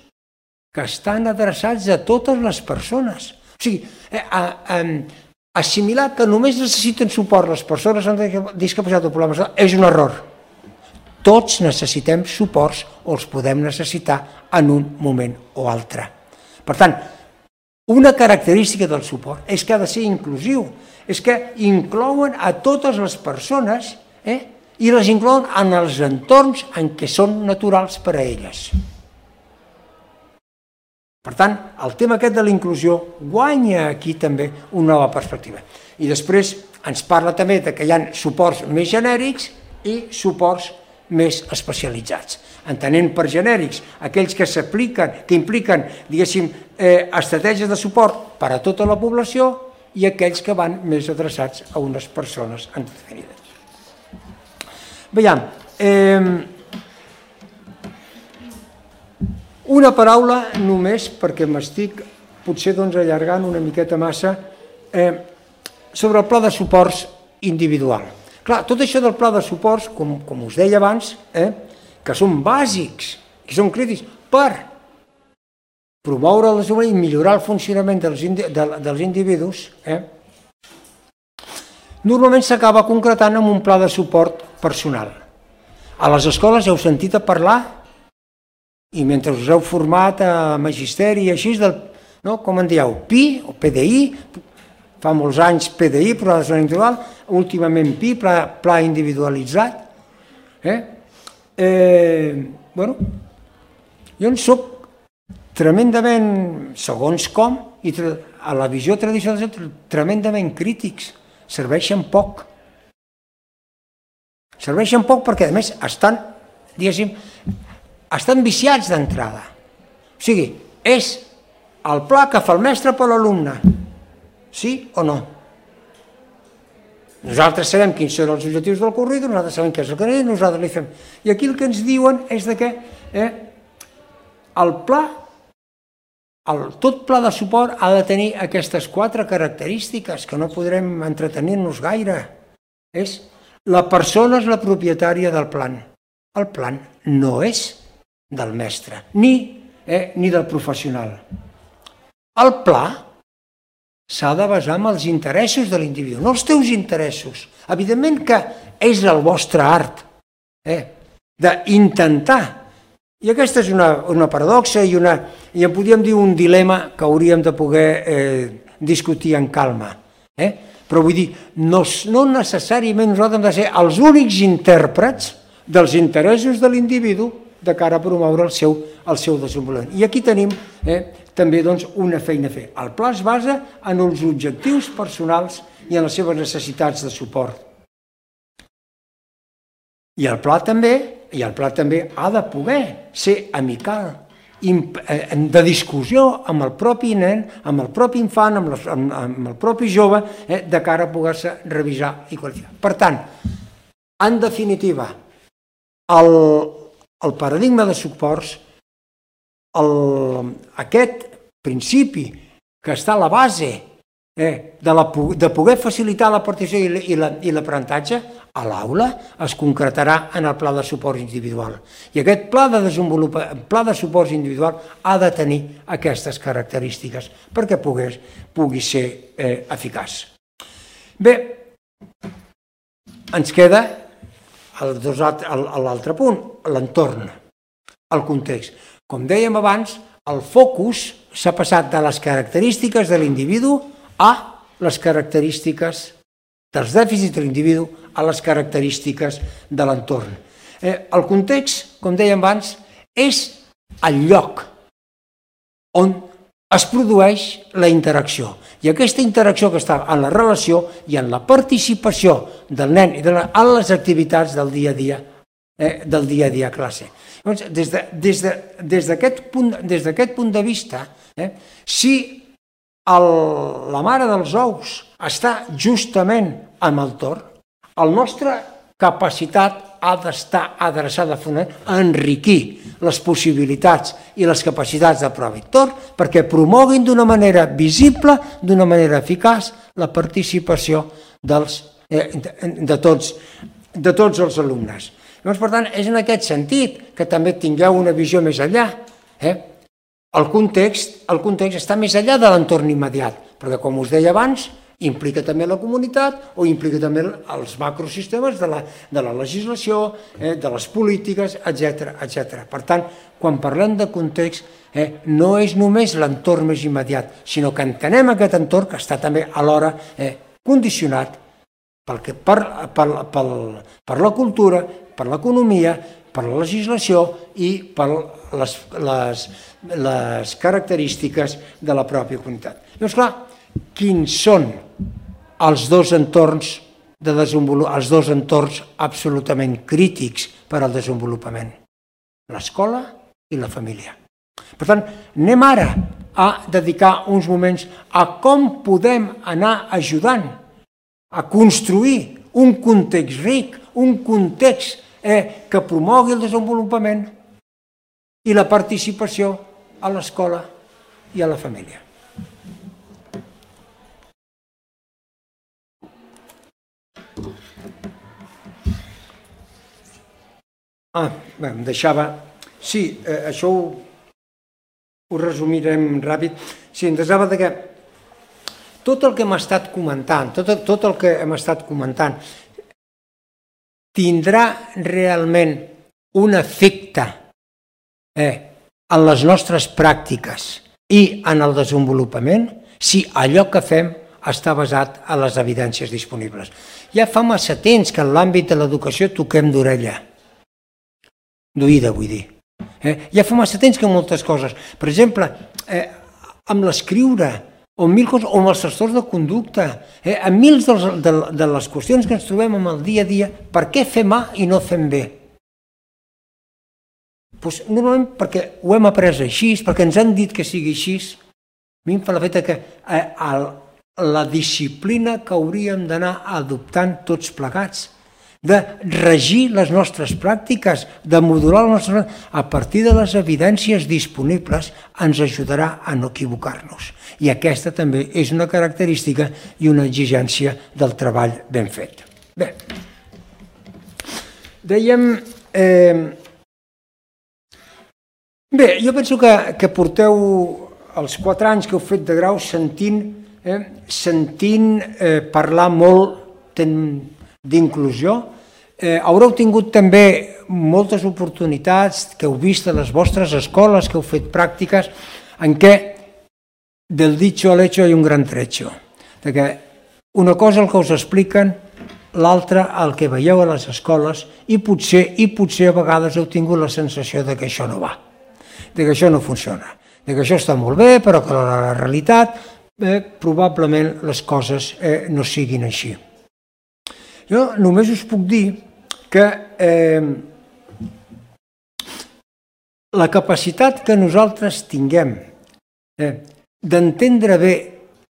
Que estan adreçats a totes les persones. O sigui, eh, eh, assimilar que només necessiten suport les persones amb discapacitat o problemes és un error. Tots necessitem suports o els podem necessitar en un moment o altre. Per tant, una característica del suport és que ha de ser inclusiu, és que inclouen a totes les persones eh, i les inclouen en els entorns en què són naturals per a elles. Per tant, el tema aquest de la inclusió guanya aquí també una nova perspectiva. I després ens parla també que hi ha suports més genèrics i suports més especialitzats. Entenent per genèrics aquells que s'apliquen, que impliquen, diguéssim, eh, estratègies de suport per a tota la població i aquells que van més adreçats a unes persones definides. Veiem, eh, una paraula només, perquè m'estic potser doncs, allargant una miqueta massa, eh, sobre el pla de suports individual. Clar, tot això del pla de suports, com, com us deia abans, eh, que són bàsics, que són crítics, per promoure les i millorar el funcionament dels, indi de, dels individus, eh, normalment s'acaba concretant amb un pla de suport personal. A les escoles heu sentit a parlar, i mentre us heu format a magisteri i així, del, no, com en dieu, P I o P D I, fa molts anys P D I, Pla de Desenvolupament Individual, últimament P I, Pla, pla Individualitzat. Eh? Eh, bueno, jo en soc tremendament, segons com, i a la visió tradicional, tremendament crítics. Serveixen poc. Serveixen poc perquè, a més, estan, diguéssim, estan viciats d'entrada. O sigui, és el pla que fa el mestre per l'alumne. Sí o no? Nosaltres sabem quins són els objectius del currículum, nosaltres sabem què és el que és, nosaltres li fem. I aquí el que ens diuen és que eh, el pla, el, tot pla de suport ha de tenir aquestes quatre característiques que no podrem entretenir-nos gaire. És la persona és la propietària del plan. El plan no és del mestre, ni, eh, ni del professional. El pla s'ha de basar en els interessos de l'individu, no els teus interessos. Evidentment que és el vostre art eh, d'intentar. I aquesta és una, una paradoxa i, una, i en podríem dir un dilema que hauríem de poder eh, discutir en calma. Eh? però vull dir, no, no necessàriament nosaltres hem de ser els únics intèrprets dels interessos de l'individu de cara a promoure el seu, el seu desenvolupament. I aquí tenim eh, també doncs, una feina a fer. El pla es basa en els objectius personals i en les seves necessitats de suport. I el pla també, i el pla també ha de poder ser amical, de discussió amb el propi nen, amb el propi infant, amb, les, amb, amb el propi jove, eh, de cara a poder-se revisar i qualificar. Per tant, en definitiva, el, el paradigma de suports, el, aquest principi que està a la base eh, de, la, de poder facilitar la participació i l'aprenentatge, a l'aula es concretarà en el pla de suport individual. I aquest pla de, pla de suport individual ha de tenir aquestes característiques perquè pogués, pugui ser eh, eficaç. Bé, ens queda l'altre punt, l'entorn, el context. Com dèiem abans, el focus s'ha passat de les característiques de l'individu a les característiques dels dèficits de l'individu a les característiques de l'entorn. Eh, el context, com dèiem abans, és el lloc on es produeix la interacció. I aquesta interacció que està en la relació i en la participació del nen i de la, en les activitats del dia a dia, eh, del dia a dia a classe. Llavors, des de, des de, des d'aquest punt, des d'aquest punt de vista, eh, si el, la mare dels ous està justament amb el torn, la nostra capacitat ha d'estar adreçada a enriquir les possibilitats i les capacitats de prova i torn perquè promoguin d'una manera visible, d'una manera eficaç, la participació dels, eh, de, tots, de tots els alumnes. Llavors, per tant, és en aquest sentit que també tingueu una visió més enllà. Eh? El context, el context està més enllà de l'entorn immediat, perquè, com us deia abans, implica també la comunitat o implica també els macrosistemes de la, de la legislació, eh, de les polítiques, etcètera, etcètera. Per tant, quan parlem de context, eh, no és només l'entorn més immediat, sinó que entenem aquest entorn que està també alhora eh, condicionat pel que, per, per, per, per la cultura, per l'economia, per la legislació i per les, les, les característiques de la pròpia comunitat. Llavors, clar, quins són els dos entorns de desenvolupament, els dos entorns absolutament crítics per al desenvolupament? L'escola i la família. Per tant, anem ara a dedicar uns moments a com podem anar ajudant a construir un context ric, un context eh, que promogui el desenvolupament i la participació a l'escola i a la família. Ah, bé, em deixava... Sí, eh, això ho, ho resumirem ràpid. Sí, em deixava que tot el que hem estat comentant, tot, tot el que hem estat comentant, tindrà realment un efecte eh, en les nostres pràctiques i en el desenvolupament si allò que fem està basat en les evidències disponibles. Ja fa massa temps que en l'àmbit de l'educació toquem d'orella. D'oïda, vull dir. Eh? Ja fa massa temps que moltes coses. Per exemple, eh, amb l'escriure, o amb, mil coses, o amb els trastorns de conducta, eh, amb mil de, de, de les qüestions que ens trobem en el dia a dia, per què fem A i no fem B? Pues, normalment perquè ho hem après així, perquè ens han dit que sigui així. A mi em fa la feta que eh, el, la disciplina que hauríem d'anar adoptant tots plegats, de regir les nostres pràctiques, de modular les nostres pràctiques, a partir de les evidències disponibles ens ajudarà a no equivocar-nos. I aquesta també és una característica i una exigència del treball ben fet. Bé, dèiem... Eh, bé, jo penso que, que porteu els quatre anys que heu fet de grau sentint, eh, sentint eh, parlar molt d'inclusió. Eh, haureu tingut també moltes oportunitats que heu vist a les vostres escoles, que heu fet pràctiques, en què del dicho al hecho hay un gran trecho. De que una cosa el que us expliquen, l'altra el que veieu a les escoles i potser, i potser a vegades heu tingut la sensació de que això no va, de que això no funciona, de que això està molt bé, però que la realitat eh, probablement les coses eh, no siguin així. Jo només us puc dir que eh, la capacitat que nosaltres tinguem eh, d'entendre bé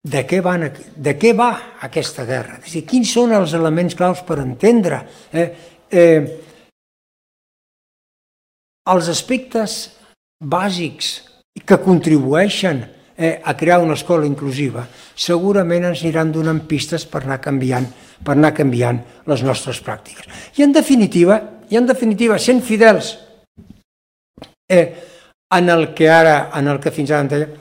de què, van, de què va aquesta guerra, és a dir, quins són els elements claus per entendre eh, eh, els aspectes bàsics que contribueixen eh, a crear una escola inclusiva, segurament ens aniran donant pistes per anar canviant, per anar canviant les nostres pràctiques. I en definitiva, i en definitiva sent fidels eh, en el que ara, en el que fins ara en deia,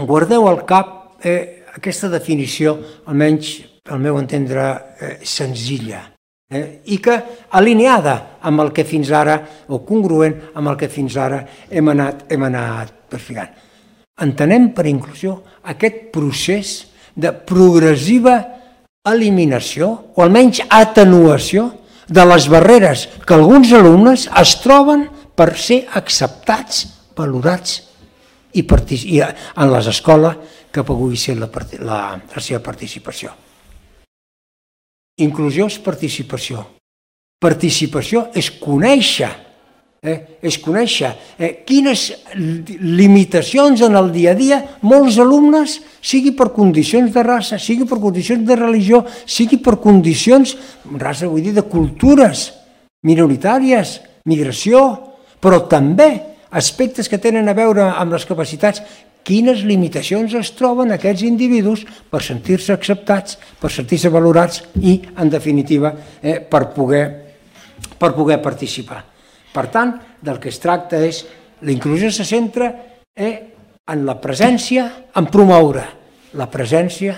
guardeu al cap eh, aquesta definició, almenys al meu entendre, eh, senzilla, eh, i que alineada amb el que fins ara, o congruent amb el que fins ara hem anat, hem anat perfillant. Entenem per inclusió aquest procés de progressiva eliminació, o almenys atenuació, de les barreres que alguns alumnes es troben per ser acceptats, valorats i en les escoles que pugui ser la, la, la seva participació. Inclusió és participació. Participació és conèixer, eh, és conèixer eh, quines limitacions en el dia a dia molts alumnes, sigui per condicions de raça, sigui per condicions de religió, sigui per condicions, raça vull dir, de cultures minoritàries, migració, però també aspectes que tenen a veure amb les capacitats, quines limitacions es troben aquests individus per sentir-se acceptats, per sentir-se valorats i, en definitiva, eh, per, poder, per poder participar. Per tant, del que es tracta és, la inclusió se centra eh, en la presència, en promoure la presència,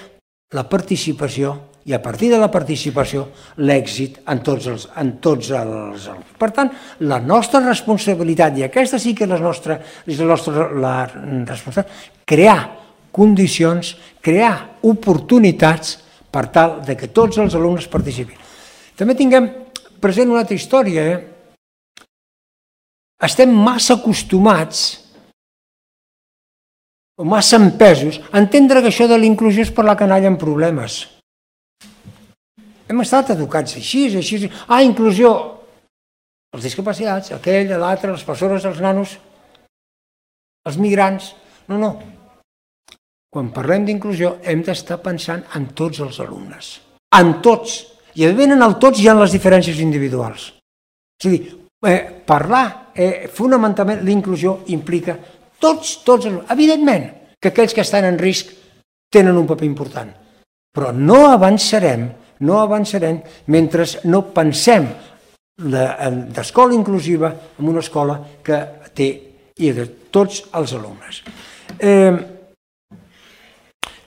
la participació i a partir de la participació l'èxit en tots els, en tots els... Per tant, la nostra responsabilitat, i aquesta sí que és la nostra, és la nostra la responsabilitat, crear condicions, crear oportunitats per tal de que tots els alumnes participin. També tinguem present una altra història. Eh? Estem massa acostumats o massa empesos a entendre que això de la inclusió és parlar canalla amb problemes. Hem estat educats així, així, ah, inclusió, els discapacitats, aquell, l'altre, les persones, els nanos, els migrants, no, no. Quan parlem d'inclusió hem d'estar pensant en tots els alumnes, en tots, i evidentment en el tots hi ha les diferències individuals. És a dir, eh, parlar, eh, fonamentalment l'inclusió implica tots, tots els alumnes, evidentment que aquells que estan en risc tenen un paper important, però no avançarem no avançarem mentre no pensem d'escola inclusiva en una escola que té i de tots els alumnes. Eh,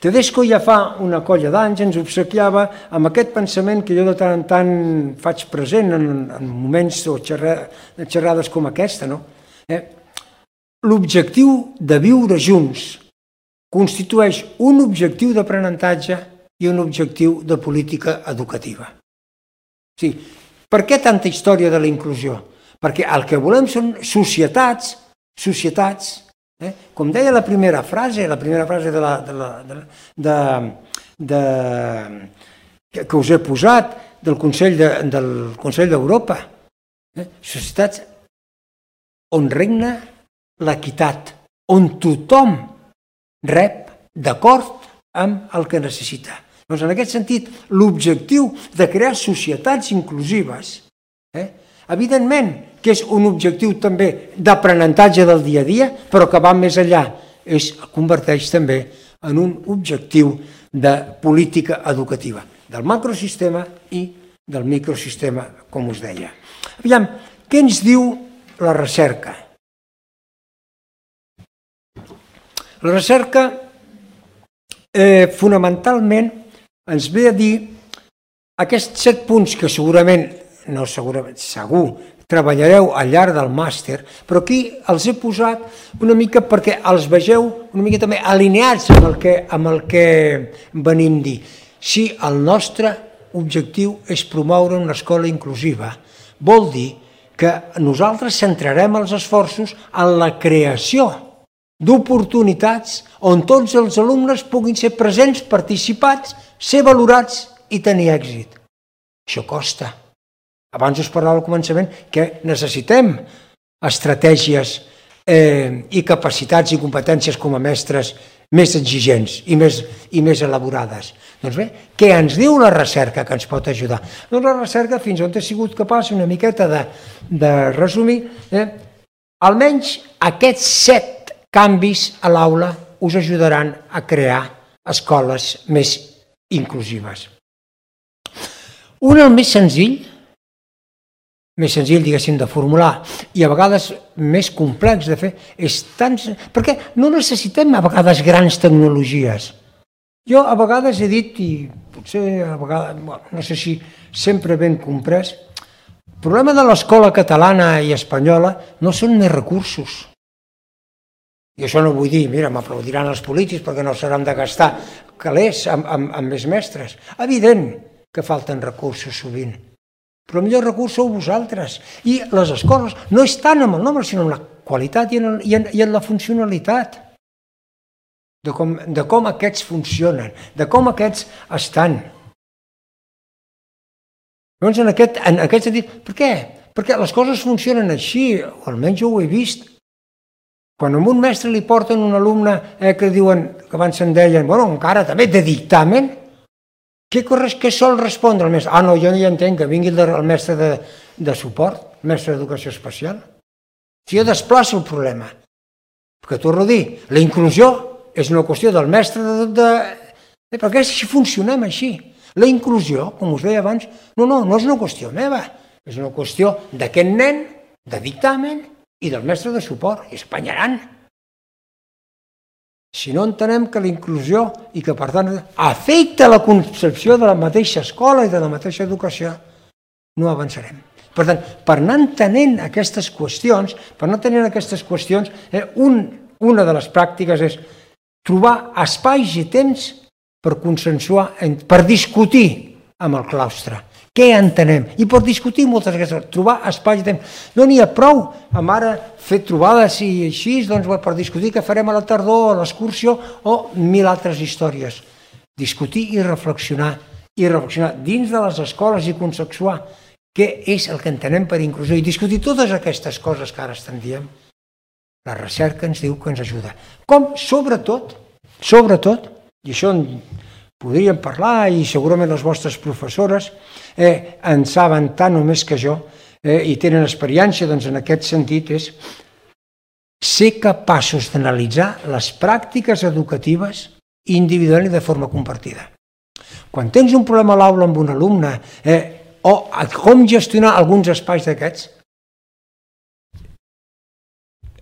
Tedesco ja fa una colla d'anys ens obsequiava amb aquest pensament que jo de tant en tant faig present en, en moments o xerrades, xerrades com aquesta. No? Eh, L'objectiu de viure junts constitueix un objectiu d'aprenentatge i un objectiu de política educativa. Sí. Per què tanta història de la inclusió? Perquè el que volem són societats, societats, eh? com deia la primera frase, la primera frase de la, de la, de, de, de, que us he posat del Consell de, del Consell d'Europa, eh? societats on regna l'equitat, on tothom rep d'acord amb el que necessita. Doncs en aquest sentit, l'objectiu de crear societats inclusives, eh, evidentment que és un objectiu també d'aprenentatge del dia a dia, però que va més enllà, es converteix també en un objectiu de política educativa, del macrosistema i del microsistema, com us deia. Aviam, què ens diu la recerca? La recerca eh, fonamentalment ens ve a dir aquests set punts que segurament, no segurament, segur, treballareu al llarg del màster, però aquí els he posat una mica perquè els vegeu una mica també alineats amb el que, amb el que venim a dir. Si el nostre objectiu és promoure una escola inclusiva, vol dir que nosaltres centrarem els esforços en la creació d'oportunitats on tots els alumnes puguin ser presents, participats, ser valorats i tenir èxit. Això costa. Abans us parlava al començament que necessitem estratègies eh, i capacitats i competències com a mestres més exigents i més, i més elaborades. Doncs bé, què ens diu la recerca que ens pot ajudar? Doncs la recerca, fins on he sigut capaç una miqueta de, de resumir, eh, almenys aquests set canvis a l'aula us ajudaran a crear escoles més inclusives. Un, el més senzill, més senzill, diguéssim, de formular i a vegades més complex de fer, és tan... perquè no necessitem a vegades grans tecnologies. Jo a vegades he dit, i potser a vegades, bueno, no sé si sempre ben comprès, el problema de l'escola catalana i espanyola no són més recursos. I això no vull dir, mira, m'aplaudiran els polítics perquè no s'hauran de gastar calés amb, amb, amb més mestres. Evident que falten recursos sovint. Però el millor recurs sou vosaltres. I les escoles no és tant amb el nombre, sinó amb la qualitat i en, el, i en, i en la funcionalitat. De com, de com aquests funcionen, de com aquests estan. Llavors, en aquest, en aquest sentit, per què? Perquè les coses funcionen així, o almenys jo ho he vist. Quan a un mestre li porten un alumne eh, que diuen, que abans se'n deien, bueno, encara també de dictamen, Què, què sol respondre el mestre? Ah, no, jo no hi entenc, que vingui el, el mestre de, de suport, el mestre d'educació especial. Si jo desplaço el problema, perquè torno a dir, la inclusió és una qüestió del mestre de... de, de perquè si funcionem així. La inclusió, com us deia abans, no, no, no és una qüestió meva, és una qüestió d'aquest nen, de dictamen i del mestre de suport, i s'apanyaran. Si no entenem que la inclusió i que, per tant, afecta la concepció de la mateixa escola i de la mateixa educació, no avançarem. Per tant, per anar entenent aquestes qüestions, per anar entenent aquestes qüestions, eh, un, una de les pràctiques és trobar espais i temps per consensuar, per discutir amb el claustre. Què entenem? I per discutir moltes vegades, trobar espais i temps. No n'hi ha prou amb ara fer trobades i així, doncs, per discutir què farem a la tardor, a l'excursió o mil altres històries. Discutir i reflexionar, i reflexionar dins de les escoles i consensuar què és el que entenem per inclusió i discutir totes aquestes coses que ara estem dient. La recerca ens diu que ens ajuda. Com, sobretot, sobretot, i això en podríem parlar i segurament les vostres professores eh, en saben tant o més que jo eh, i tenen experiència doncs, en aquest sentit, és ser capaços d'analitzar les pràctiques educatives individualment i de forma compartida. Quan tens un problema a l'aula amb un alumne eh, o com gestionar alguns espais d'aquests,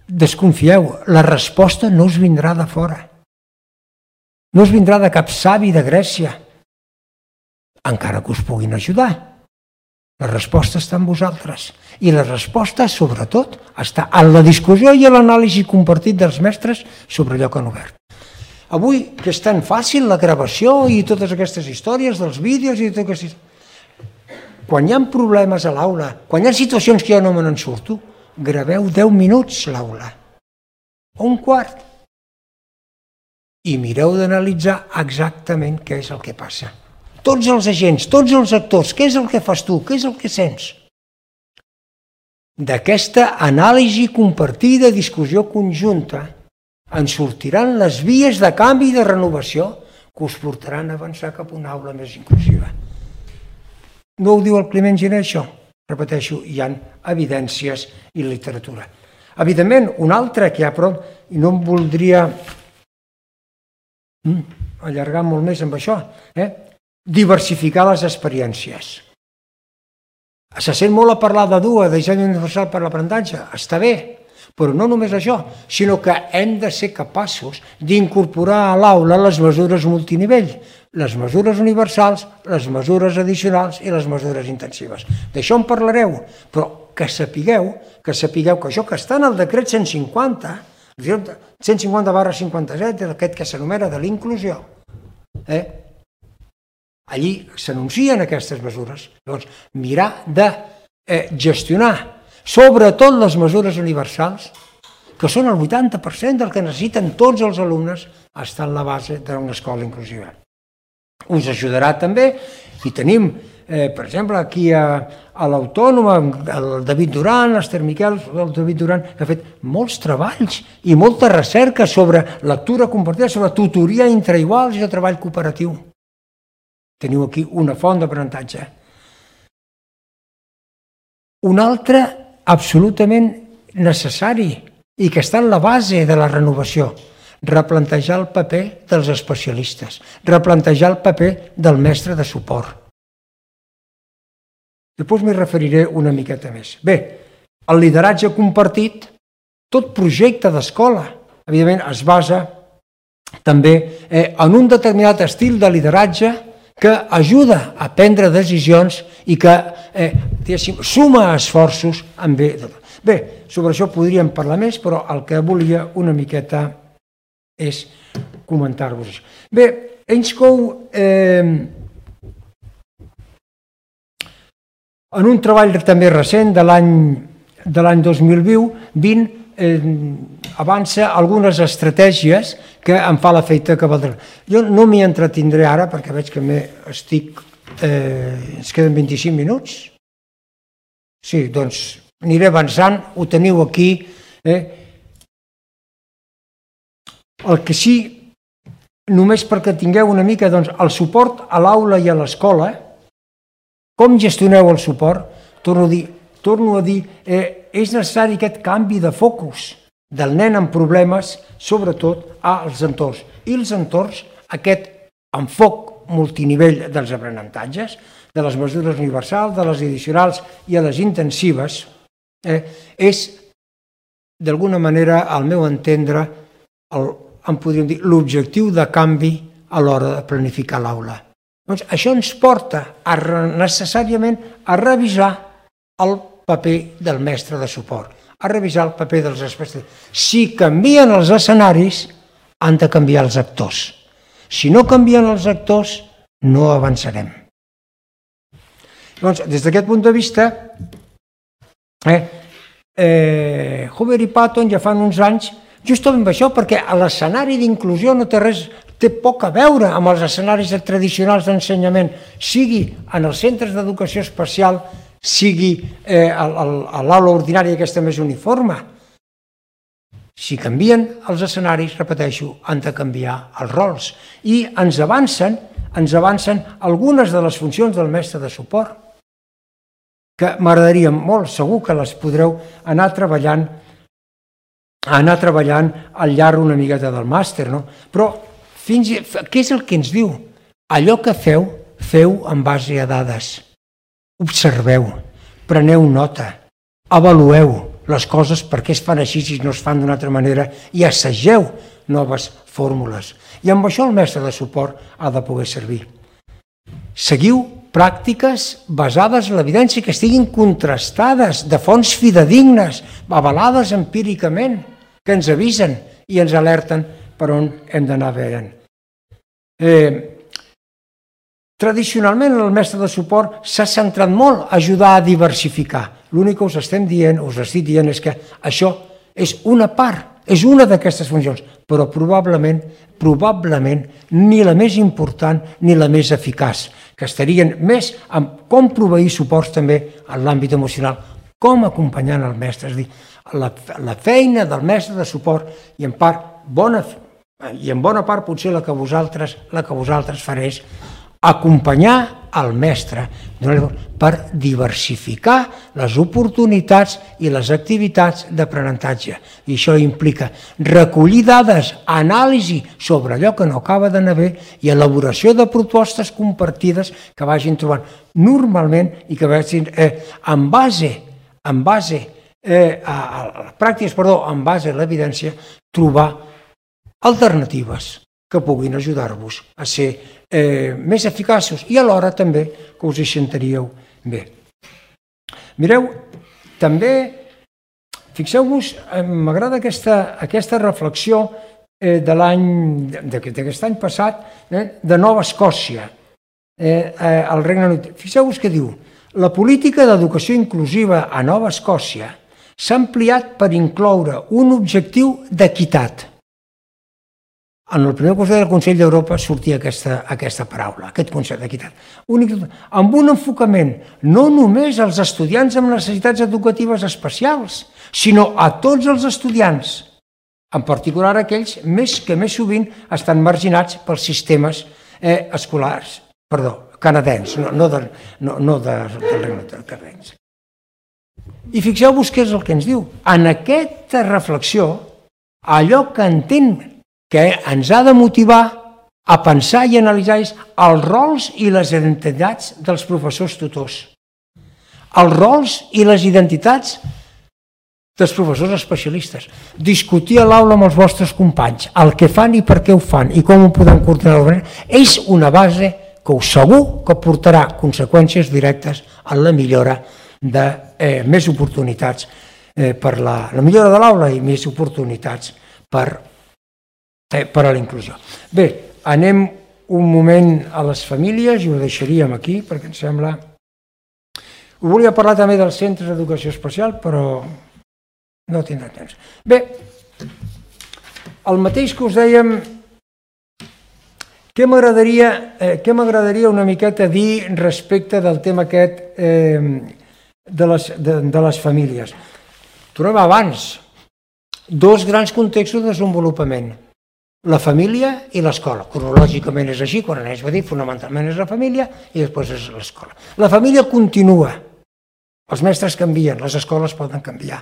desconfieu, la resposta no us vindrà de fora. No us vindrà de cap savi de Grècia, encara que us puguin ajudar. La resposta està en vosaltres. I la resposta, sobretot, està en la discussió i en l'anàlisi compartit dels mestres sobre allò que han obert. Avui, que és tan fàcil la gravació i totes aquestes històries dels vídeos i tot aquestes... Quan hi ha problemes a l'aula, quan hi ha situacions que jo no me n'en surto, graveu deu minuts l'aula, o un quart, i mireu d'analitzar exactament què és el que passa. Tots els agents, tots els actors, què és el que fas tu, què és el que sents? D'aquesta anàlisi compartida, discussió conjunta, en sortiran les vies de canvi i de renovació que us portaran a avançar cap a una aula més inclusiva. No ho diu el Climent Giner, això? Repeteixo, hi ha evidències i literatura. Evidentment, un altre que hi ha, però, i no em voldria allargar molt més amb això, eh? Diversificar les experiències. Se sent molt a parlar de D U A, de disseny universal per l'aprenentatge, està bé, però no només això, sinó que hem de ser capaços d'incorporar a l'aula les mesures multinivell, les mesures universals, les mesures addicionals i les mesures intensives. D'això en parlareu, però que sapigueu, que sapigueu que això que està en el decret cent cinquanta, cent cinquanta barra cinquanta-set, aquest que s'anomena de l'inclusió, eh? allí s'anuncien aquestes mesures. Llavors, mirar de eh, gestionar, sobretot les mesures universals, que són el vuitanta per cent del que necessiten tots els alumnes, està en la base d'una escola inclusiva. Us ajudarà també, i tenim, eh, per exemple, aquí a, a l'Autònoma, el David Duran, l'Ester Miquel, el David Duran, que ha fet molts treballs i molta recerca sobre lectura compartida, sobre tutoria entre iguals i el treball cooperatiu. Teniu aquí una font d'aprenentatge. Un altre absolutament necessari i que està en la base de la renovació, replantejar el paper dels especialistes, replantejar el paper del mestre de suport. Després m'hi referiré una miqueta més. Bé, el lideratge compartit, tot projecte d'escola, evidentment es basa també eh, en un determinat estil de lideratge que ajuda a prendre decisions i que eh, suma esforços en bé. Bé, sobre això podríem parlar més, però el que volia una miqueta és comentar-vos això. Bé, Ainscow, eh, en un treball també recent de l'any dos mil vint, eh, avança algunes estratègies que em fa l'efecte que valdrà. Jo no m'hi entretindré ara perquè veig que estic, eh, ens queden vint-i-cinc minuts. Sí, doncs aniré avançant, ho teniu aquí. Eh? El que sí, només perquè tingueu una mica doncs, el suport a l'aula i a l'escola, com gestioneu el suport? Torno a dir, torno a dir eh, és necessari aquest canvi de focus del nen amb problemes, sobretot als entorns. I els entorns, aquest enfoc multinivell dels aprenentatges, de les mesures universals, de les addicionals i a les intensives, eh, és, d'alguna manera, al meu entendre, el, en podríem dir, l'objectiu de canvi a l'hora de planificar l'aula. Doncs això ens porta a, necessàriament a revisar el paper del mestre de suport, a revisar el paper dels especialistes. Si canvien els escenaris, han de canviar els actors. Si no canvien els actors, no avançarem. Doncs, des d'aquest punt de vista, eh, eh, Hoover i Patton ja fan uns anys justament això, perquè l'escenari d'inclusió no té res, té poc a veure amb els escenaris tradicionals d'ensenyament, sigui en els centres d'educació especial, sigui eh, a l'aula ordinària aquesta més uniforme. Si canvien els escenaris, repeteixo, han de canviar els rols. I ens avancen, ens avancen algunes de les funcions del mestre de suport, que m'agradaria molt, segur que les podreu anar treballant, anar treballant al llarg una miqueta del màster, no? Però fins, què és el que ens diu? Allò que feu, feu en base a dades. Observeu, preneu nota, avalueu les coses perquè es fan així si no es fan d'una altra manera i assageu noves fórmules. I amb això el mestre de suport ha de poder servir. Seguiu pràctiques basades en l'evidència, que estiguin contrastades, de fonts fidedignes, avalades empíricament, que ens avisen i ens alerten per on hem d'anar veient. Eh, Tradicionalment, el mestre de suport s'ha centrat molt a ajudar a diversificar. L'únic que us estem dient, us estic dient, és que això és una part, és una d'aquestes funcions, però probablement, probablement, ni la més important ni la més eficaç, que estarien més amb com proveir suports també en l'àmbit emocional, com acompanyant el mestre, és a dir, la, la feina del mestre de suport i en part, bona, i en bona part potser la que vosaltres, la que vosaltres fareu, acompanyar el mestre per diversificar les oportunitats i les activitats d'aprenentatge. I això implica recollir dades, anàlisi sobre allò que no acaba d'anar bé i elaboració de propostes compartides que vagin trobant normalment i que vagin eh, en base, en base eh, a, a pràctiques, perdó, en base a l'evidència, trobar alternatives que puguin ajudar-vos a ser eh, més eficaços i alhora també que us hi sentiríeu bé. Mireu, també, fixeu-vos, m'agrada aquesta, aquesta reflexió eh, de l'any, d'aquest any passat, eh, de Nova Escòcia, eh, eh, al Regne Unit. Fixeu-vos què diu. La política d'educació inclusiva a Nova Escòcia s'ha ampliat per incloure un objectiu d'equitat. En el primer Consell del Consell d'Europa sortia aquesta, aquesta paraula, aquest concepte d'equitat. Amb un enfocament no només als estudiants amb necessitats educatives especials, sinó a tots els estudiants, en particular aquells més que més sovint estan marginats pels sistemes eh, escolars, perdó, canadencs, no, no, de, no, no de, del Regne Unit, canadencs. I fixeu-vos què és el que ens diu. En aquesta reflexió, allò que entén que ens ha de motivar a pensar i analitzar és els rols i les identitats dels professors tutors. Els rols i les identitats dels professors especialistes. Discutir a l'aula amb els vostres companys el que fan i per què ho fan i com ho podem coordinar és una base que us segur que portarà conseqüències directes en la millora de eh, més oportunitats eh, per la, la millora de l'aula i més oportunitats per Eh, per a la inclusió. Bé, anem un moment a les famílies i ho deixaríem aquí perquè em sembla... Ho volia parlar també dels centres d'educació especial, però no tindrà temps. Bé, el mateix que us dèiem, què m'agradaria eh, què m'agradaria una miqueta dir respecte del tema aquest eh, de, les, de, de les famílies. Tornem abans. Dos grans contextos de desenvolupament. La família i l'escola. Cronològicament és així, quan anés a dir, fonamentalment és la família i després és l'escola. La família continua. Els mestres canvien, les escoles poden canviar.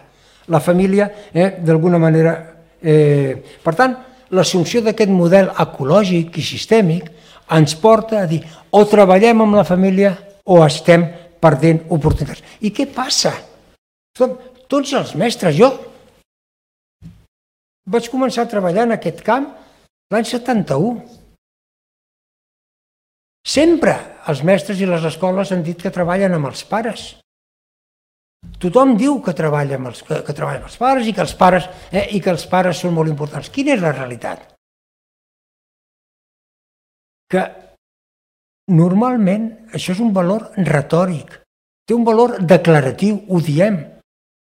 La família, eh, d'alguna manera... Eh, per tant, l'assumpció d'aquest model ecològic i sistèmic ens porta a dir o treballem amb la família o estem perdent oportunitats. I què passa? Tots els mestres, jo vaig començar a treballar en aquest camp l'any setanta-u. Sempre els mestres i les escoles han dit que treballen amb els pares. Tothom diu que treballa amb els, que, que treballa amb els pares i que els pares, eh, i que els pares són molt importants. Quina és la realitat? Que normalment això és un valor retòric, té un valor declaratiu, ho diem,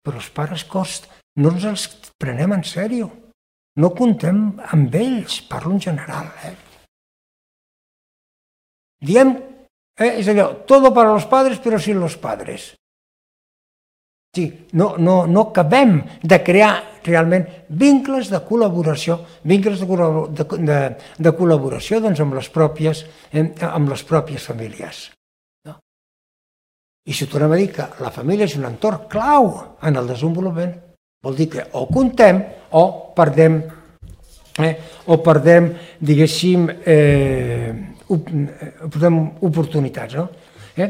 però els pares cost, no ens els prenem en sèrio. No contem amb ells, parlo en general. Eh? Diem, eh, és allò, todo para los padres, però sin los padres. Sí, no, no, no acabem de crear realment vincles de col·laboració, vincles de, de, de, de col·laboració doncs, amb, les pròpies, eh, amb les pròpies famílies. No? I si tornem a dir que la família és un entorn clau en el desenvolupament, vol dir que o contem o perdem, eh, o perdem diguéssim, eh, op, perdem oportunitats. No? Eh?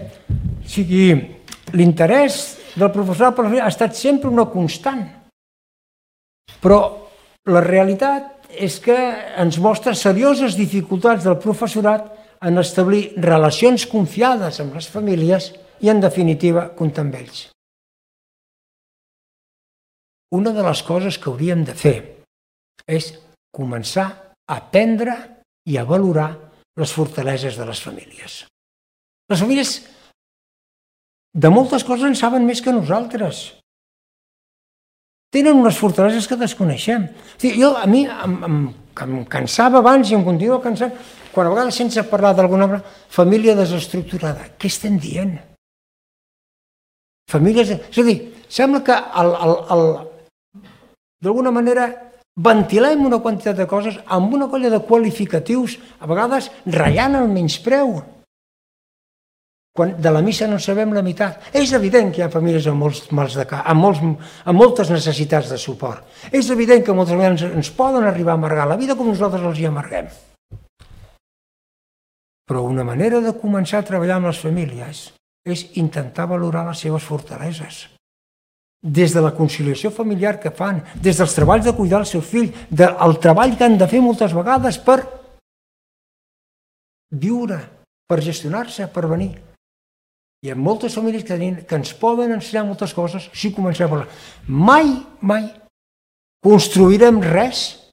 O sigui, l'interès del professorat ha estat sempre una constant, però la realitat és que ens mostra serioses dificultats del professorat en establir relacions confiades amb les famílies i, en definitiva, comptar amb ells. Una de les coses que hauríem de fer és començar a aprendre i a valorar les fortaleses de les famílies. Les famílies de moltes coses en saben més que nosaltres. Tenen unes fortaleses que desconeixem. Jo, a mi em, em, em cansava abans i em continua cansant, quan a vegades sense parlar d'alguna família desestructurada. Què estem dient? Famílies... És a dir, sembla que el, el, el, d'alguna manera ventilem una quantitat de coses amb una colla de qualificatius, a vegades ratllant el menyspreu. Quan de la missa no en sabem la meitat. És evident que hi ha famílies amb, molts mals de cap, amb, molts, amb moltes necessitats de suport. És evident que moltes vegades ens poden arribar a amargar la vida com nosaltres els hi amarguem. Però una manera de començar a treballar amb les famílies és intentar valorar les seves fortaleses. Des de la conciliació familiar que fan, des dels treballs de cuidar el seu fill, del treball que han de fer moltes vegades per viure, per gestionar-se, per venir. Hi ha moltes famílies que, tenim, que ens poden ensenyar moltes coses si comencem a parlar. Mai, mai construirem res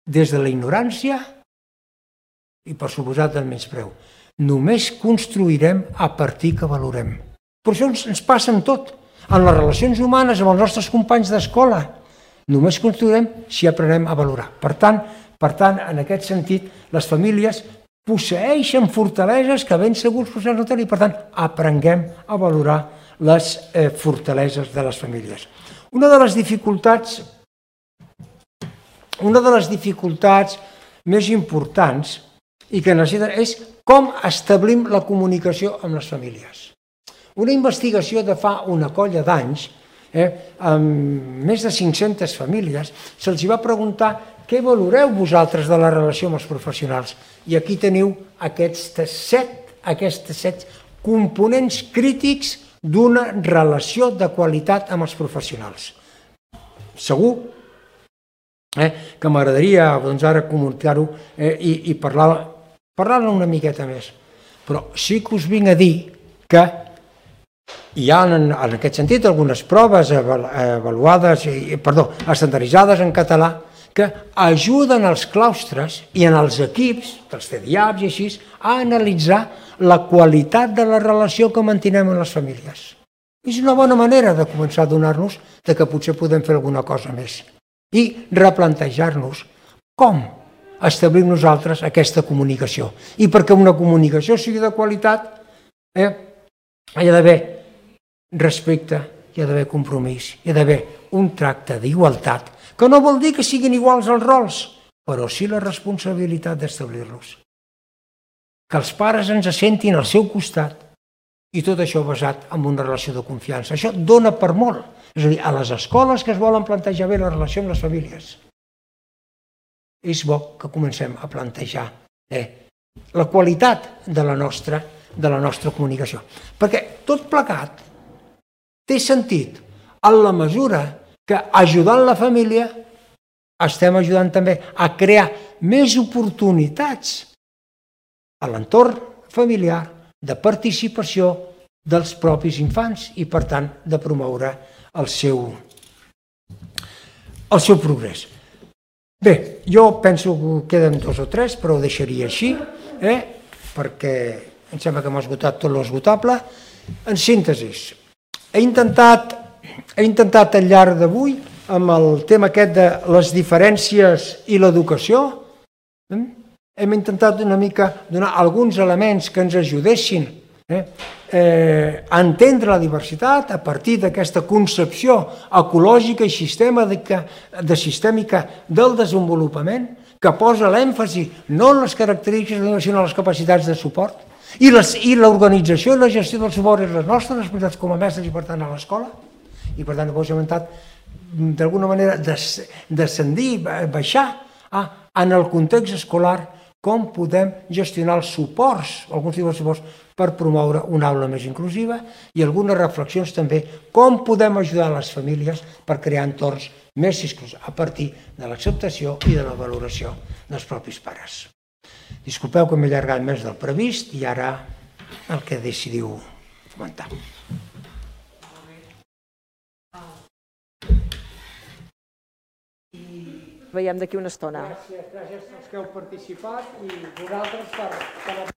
des de la ignorància i, per suposat, del menyspreu. Només construirem a partir que valorem. Per això ens, ens passa en tot. En les relacions humanes, amb els nostres companys d'escola, només construirem si aprenem a valorar. Per tant, per tant, en aquest sentit, les famílies posseeixen fortaleses que ben segur els professionals no tenen i, per tant, aprenguem a valorar les eh, fortaleses de les famílies. Una de les dificultats, una de les dificultats més importants i que necessiten és com establim la comunicació amb les famílies. Una investigació de fa una colla d'anys, eh, amb més de cinc-centes famílies, se'ls va preguntar què valoreu vosaltres de la relació amb els professionals. I aquí teniu aquests set, aquests set components crítics d'una relació de qualitat amb els professionals. Segur eh, que m'agradaria doncs, ara comunicar-ho eh, i, i parlar-ne parlar una miqueta més. Però sí que us vinc a dir que hi ha, en, en aquest sentit, algunes proves avaluades, perdó, estandarditzades en català, que ajuden als claustres i en els equips, dels C D I A Ps i així, a analitzar la qualitat de la relació que mantenim amb les famílies. És una bona manera de començar a adonar-nos que potser podem fer alguna cosa més i replantejar-nos com establim nosaltres aquesta comunicació. I perquè una comunicació sigui de qualitat, eh, hi ha d'haver respecte, hi ha d'haver compromís, hi ha d'haver un tracte d'igualtat, que no vol dir que siguin iguals els rols, però sí la responsabilitat d'establir-los. Que els pares ens assentin al seu costat i tot això basat en una relació de confiança. Això dona per molt. És a dir, a les escoles que es volen plantejar bé la relació amb les famílies, és bo que comencem a plantejar eh, la qualitat de la nostra, de la nostra comunicació. Perquè tot plegat té sentit en la mesura que ajudant la família estem ajudant també a crear més oportunitats a l'entorn familiar de participació dels propis infants i, per tant, de promoure el seu, el seu progrés. Bé, jo penso que queden dos o tres, però ho deixaria així, eh? perquè em sembla que hem esgotat tot l'esgotable. En síntesi, he intentat, he intentat al llarg d'avui, amb el tema aquest de les diferències i l'educació, eh? hem intentat una mica donar alguns elements que ens ajudessin eh? Eh, a entendre la diversitat a partir d'aquesta concepció ecològica i sistèmica, de sistèmica del desenvolupament, que posa l'èmfasi no en les característiques sinó en les capacitats de suport, i l'organització i la gestió del suport és les nostres responsabilitats com a mestres i, per tant, a l'escola. I, per tant, hem intentat, d'alguna manera, descendir, baixar en el context escolar com podem gestionar els suports, alguns tipus de suports, per promoure una aula més inclusiva i algunes reflexions també com podem ajudar les famílies per crear entorns més inclusius a partir de l'acceptació i de la valoració dels propis pares. Disculpeu que m'he allargat més del previst i ara el que decidiu comentar. Veiem d'aquí una estona. Gràcies, gràcies als que heu participat i vosaltres per...